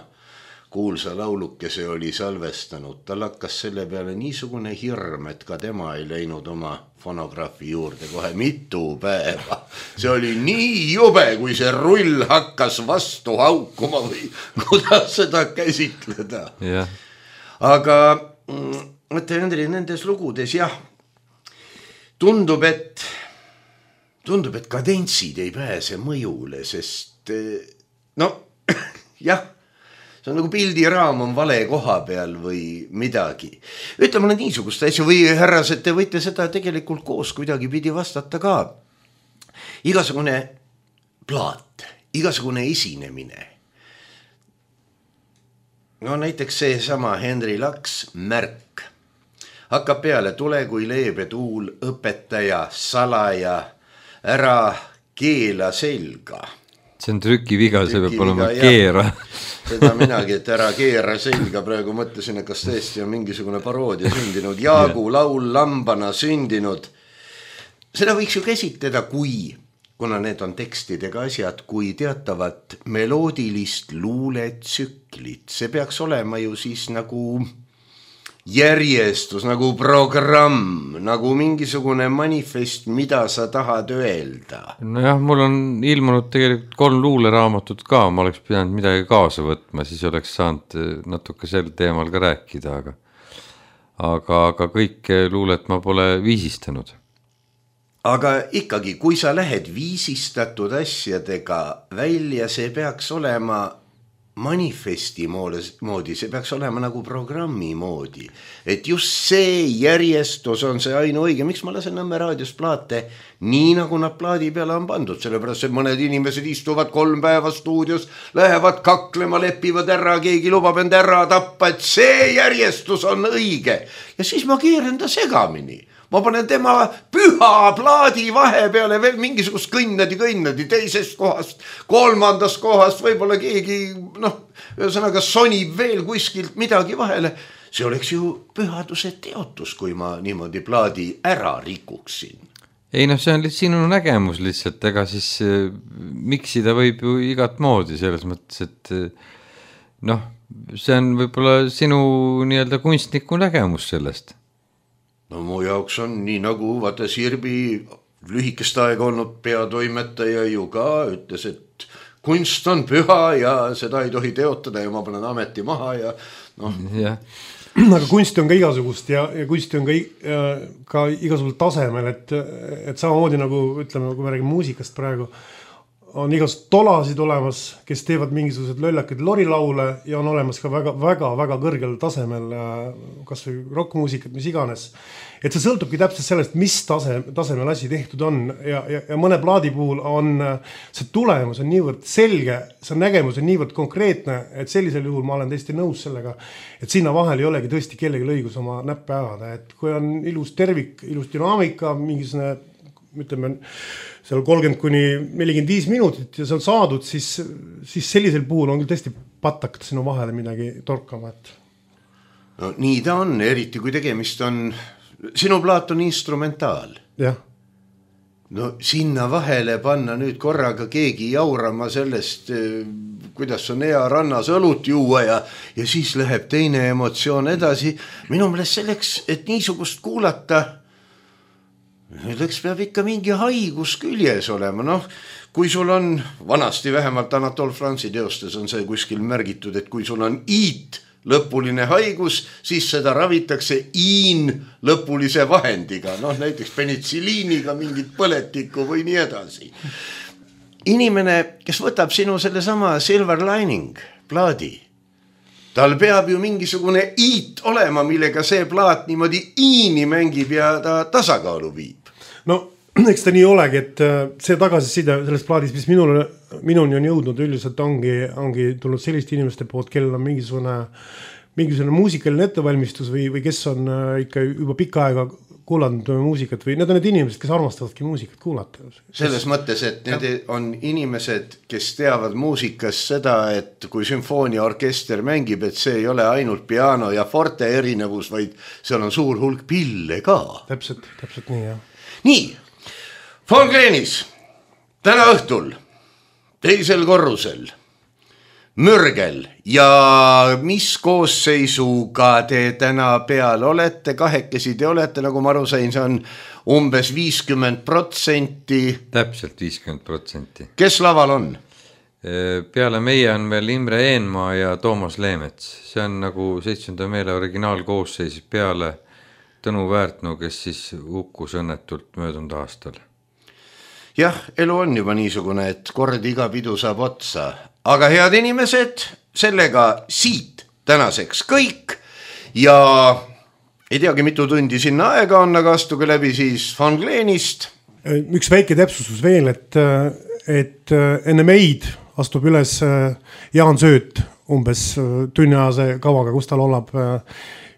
kuulsa laulukese oli salvestanud. Tal hakkas selle peale niisugune hirm, et ka tema ei läinud oma fonograafi juurde kohe mitu päeva. See oli nii jube, kui see rull hakkas vastu haukuma või kuidas seda käsitleda.
Yeah.
Aga mõtle, Hendri, nendes lugudes jah, tundub, et kadentsid ei pääse mõjule, sest jah, see on nagu pildiraam on vale koha peal või midagi. Ütle mulle niisugust asju või härrased, te võite seda tegelikult koos kuidagi pidi vastata ka. Igasugune plaat, igasugune esinemine. No näiteks see sama Henry Laks Märk hakkab peale, tule kui leebe tuul, õpetaja, salaja, ära keela selga.
See on trükiviga, see peab olema keera.
Seda minagi, et ära keera selga, praegu mõtlesin, et kas tõesti on mingisugune paroodia sündinud. Jaagu laul lambana sündinud. Seda võiks ju käsitleda kuna need on tekstidega asjad, kui teatavat meloodilist luuletsüklit. See peaks olema ju siis nagu järjestus, nagu programm, nagu mingisugune manifest, mida sa tahad öelda.
Nojah, mul on ilmunud tegelikult 3 luuleraamatut ka, ma oleks pidanud midagi kaasa võtma, siis oleks saanud natuke sel teemal ka rääkida, aga kõike luulet ma pole viisistanud.
Aga ikkagi, kui sa lähed viisistatud asjadega välja, see peaks olema manifesti moodi, see peaks olema nagu programmi moodi. Et just see järjestus on see ainuõige. Miks ma lasen Nõmme raadios plaate nii, nagu nad plaadi peale on pandud? Sellepärast, et mõned inimesed istuvad 3 päeva stuudios, lähevad kaklema, lepivad ära, keegi lubab end ära tappa, et see järjestus on õige. Ja siis ma keeran ta segamini. Ma panen tema püha plaadi vahe peale veel mingisugust kõnnadi teisest kohast, 3. kohast, võib-olla keegi, ühesõnaga sonib veel kuskilt midagi vahele. See oleks ju pühaduse teotus, kui ma niimoodi plaadi ära rikuksin.
Ei see on sinu nägemus lihtsalt, ega siis miksida võib ju igat moodi selles mõttes, et see on võib-olla sinu nii-öelda kunstniku nägemus sellest.
No mu jaoks on nii nagu vaata Sirbi lühikest aega olnud peatoimetaja ju ka ütles, et kunst on püha ja seda ei tohi teotada ja ma panen ameti maha ja
Ja.
Aga kunsti on ka igasugust ja kunsti on ka igasugusel tasemel, et samamoodi nagu ütleme, kui me räägime muusikast praegu, on igasugused tolasid olemas, kes teevad mingisugused löllakid lorilaule ja on olemas ka väga kõrgel tasemel kas või rockmuusikat, mis iganes. Et see sõltubki täpselt sellest, mis tasemel asi tehtud on ja mõne plaadi puhul on see tulemus on niivõrd selge, see nägemus on niivõrd konkreetne, et sellisel juhul ma olen täiesti nõus sellega, et sinna vahel ei olegi tõesti kellegi õigus oma näppe ajada, et kui on ilus tervik, ilus dünaamika, mingisugune ütleme, seal 30–45 minutit ja see on saadud, siis sellisel puhul on küll tõesti patakad sinu vahele midagi torkama.
No nii ta on, eriti kui tegemist on, sinu plaat on instrumentaal.
Jah.
No sinna vahele panna nüüd korraga keegi jaurama sellest, kuidas on hea rannas õlut juua ja siis läheb teine emotsioon edasi. Minu meelest selleks, et niisugust kuulata, Nüüdeks peab ikka mingi haigus küljes olema. Kui sul on, vanasti vähemalt Anatol Franzi teostes on see kuskil märgitud, et kui sul on iit lõpuline haigus, siis seda ravitakse iin lõpulise vahendiga. Näiteks penitsiliiniga, mingit põletikku või nii edasi. Inimene, kes võtab sinu selle sama Silver Lining plaadi, tal peab ju mingisugune iit olema, millega see plaat niimoodi iini mängib ja ta tasakaalu viib.
No, eks ta nii olegi, et see tagasiside sellest plaadis, mis minuni on jõudnud üldiselt ongi tulnud selliste inimeste poolt, kellel on mingisugune muusikaline ettevalmistus või kes on ikka juba pikka aega kuulanud muusikat või need on need inimesed, kes armastavadki muusikat kuulata.
Selles mõttes, et need on inimesed, kes teavad muusikas seda, et kui sümfooniaorkester mängib, et see ei ole ainult piano ja forte erinevus, vaid seal on suur hulk pille ka.
Täpselt nii, jah.
Nii, Von Gleenis, täna õhtul, 2. korrusel, Mürgel ja mis koosseisuga te täna peal olete, 2 te olete, nagu ma aru sain, see on umbes 50%.
Täpselt 50%.
Kes laval on?
Peale meie on veel Imre Eenmaa ja Toomas Leemets. See on nagu 7. meele originaalkoosseis peale Tõnu Väärtnu, kes siis hukkus õnnetult möödunud aastal.
Jah, elu on juba niisugune, et kord iga pidu saab otsa. Aga head inimesed, sellega siit tänaseks kõik ja ei teagi, mitu tundi sinna aega on, aga astuge läbi siis Von Gleenist.
Üks väike täpsustus veel, et enne meid astub üles Jaan Sööt umbes tunniajase kavaga, kus ta laulab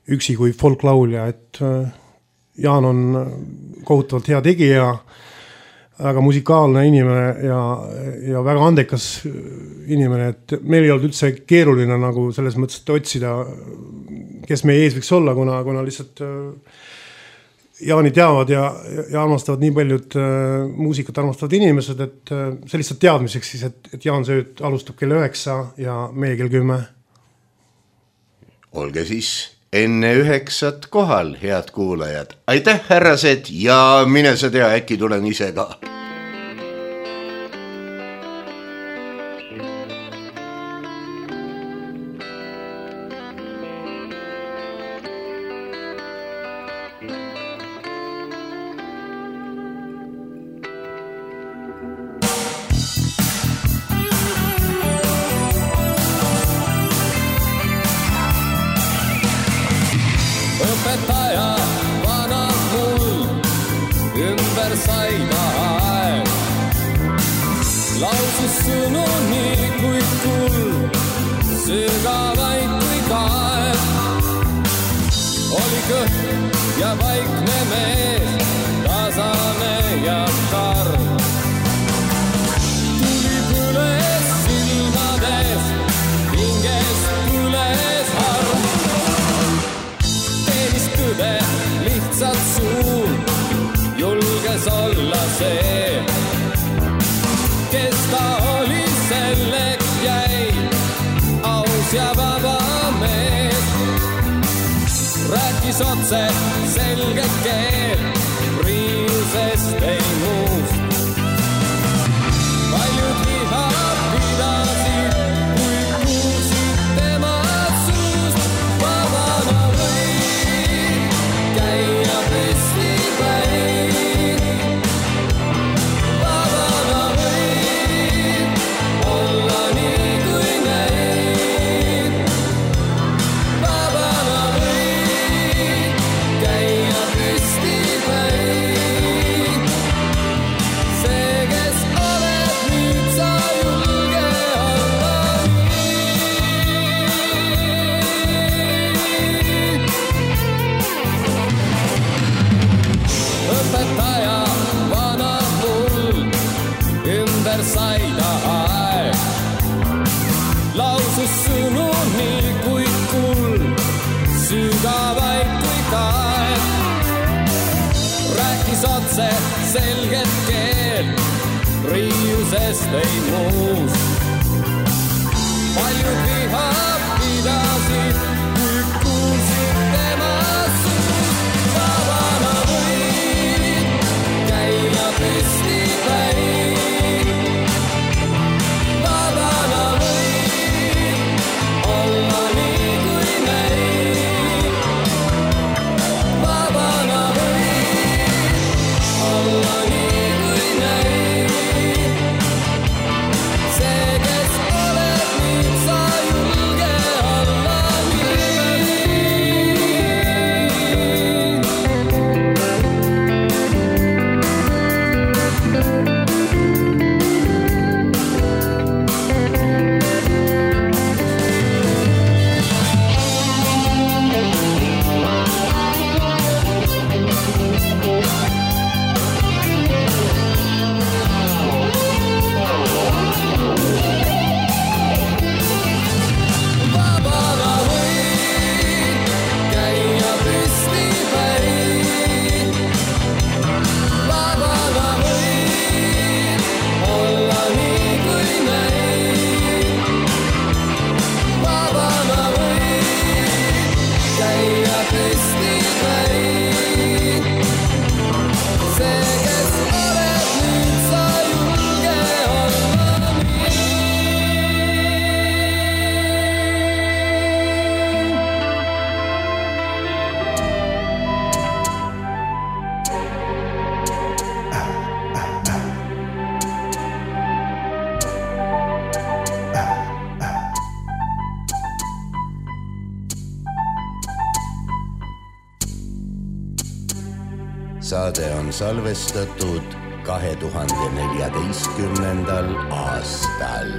üksi kui folklaulja, et Jaan on kohutavalt hea tegija, väga musikaalne inimene ja väga andekas inimene, et meil ei olnud üldse keeruline nagu selles mõttes, et otsida, kes meie ees võiks olla, kuna lihtsalt Jaani teavad ja armastavad nii paljud muusikat armastavad inimesed, et see lihtsalt teadmiseks siis, et Jaan Sööt alustab kell 9 ja meie kell 10.
Olge siis enne 9 kohal, head kuulajad. Aitäh, härrased, ja mine sa tea, äkki tulen ise ka.
Otse selge keel, riiusest ei muust. Paljud viha pidasid, kui kuulsid tema suust. Vabana võid käia püsti päin. Vabana võid olla nii kui neid. Vabana võid käia püsti päin. See, kes oled nüüd, sa julge olla nii. Õpetaja vana mul ümber sai ta aeg. Lausus sõnu nii kui kuld, sügavaid kui kaeg. Rääkis otse selget keel, riiusest ei muust. Paljud viha pidasid, kui kuulsid tema suust. Vabana võid käia püsti päin. Vabana võid olla nii kui neid. Vabana võid olla nii kui neid. See, kes oled nüüd, sa julge olla nii. Vabana võid käia püsti päin. Vabana võid olla nii kui neid. Vabana võid käia püsti päin. See, kes oled nüüd, sa julge olla nii.
Saade on salvestatud 2014. aastal.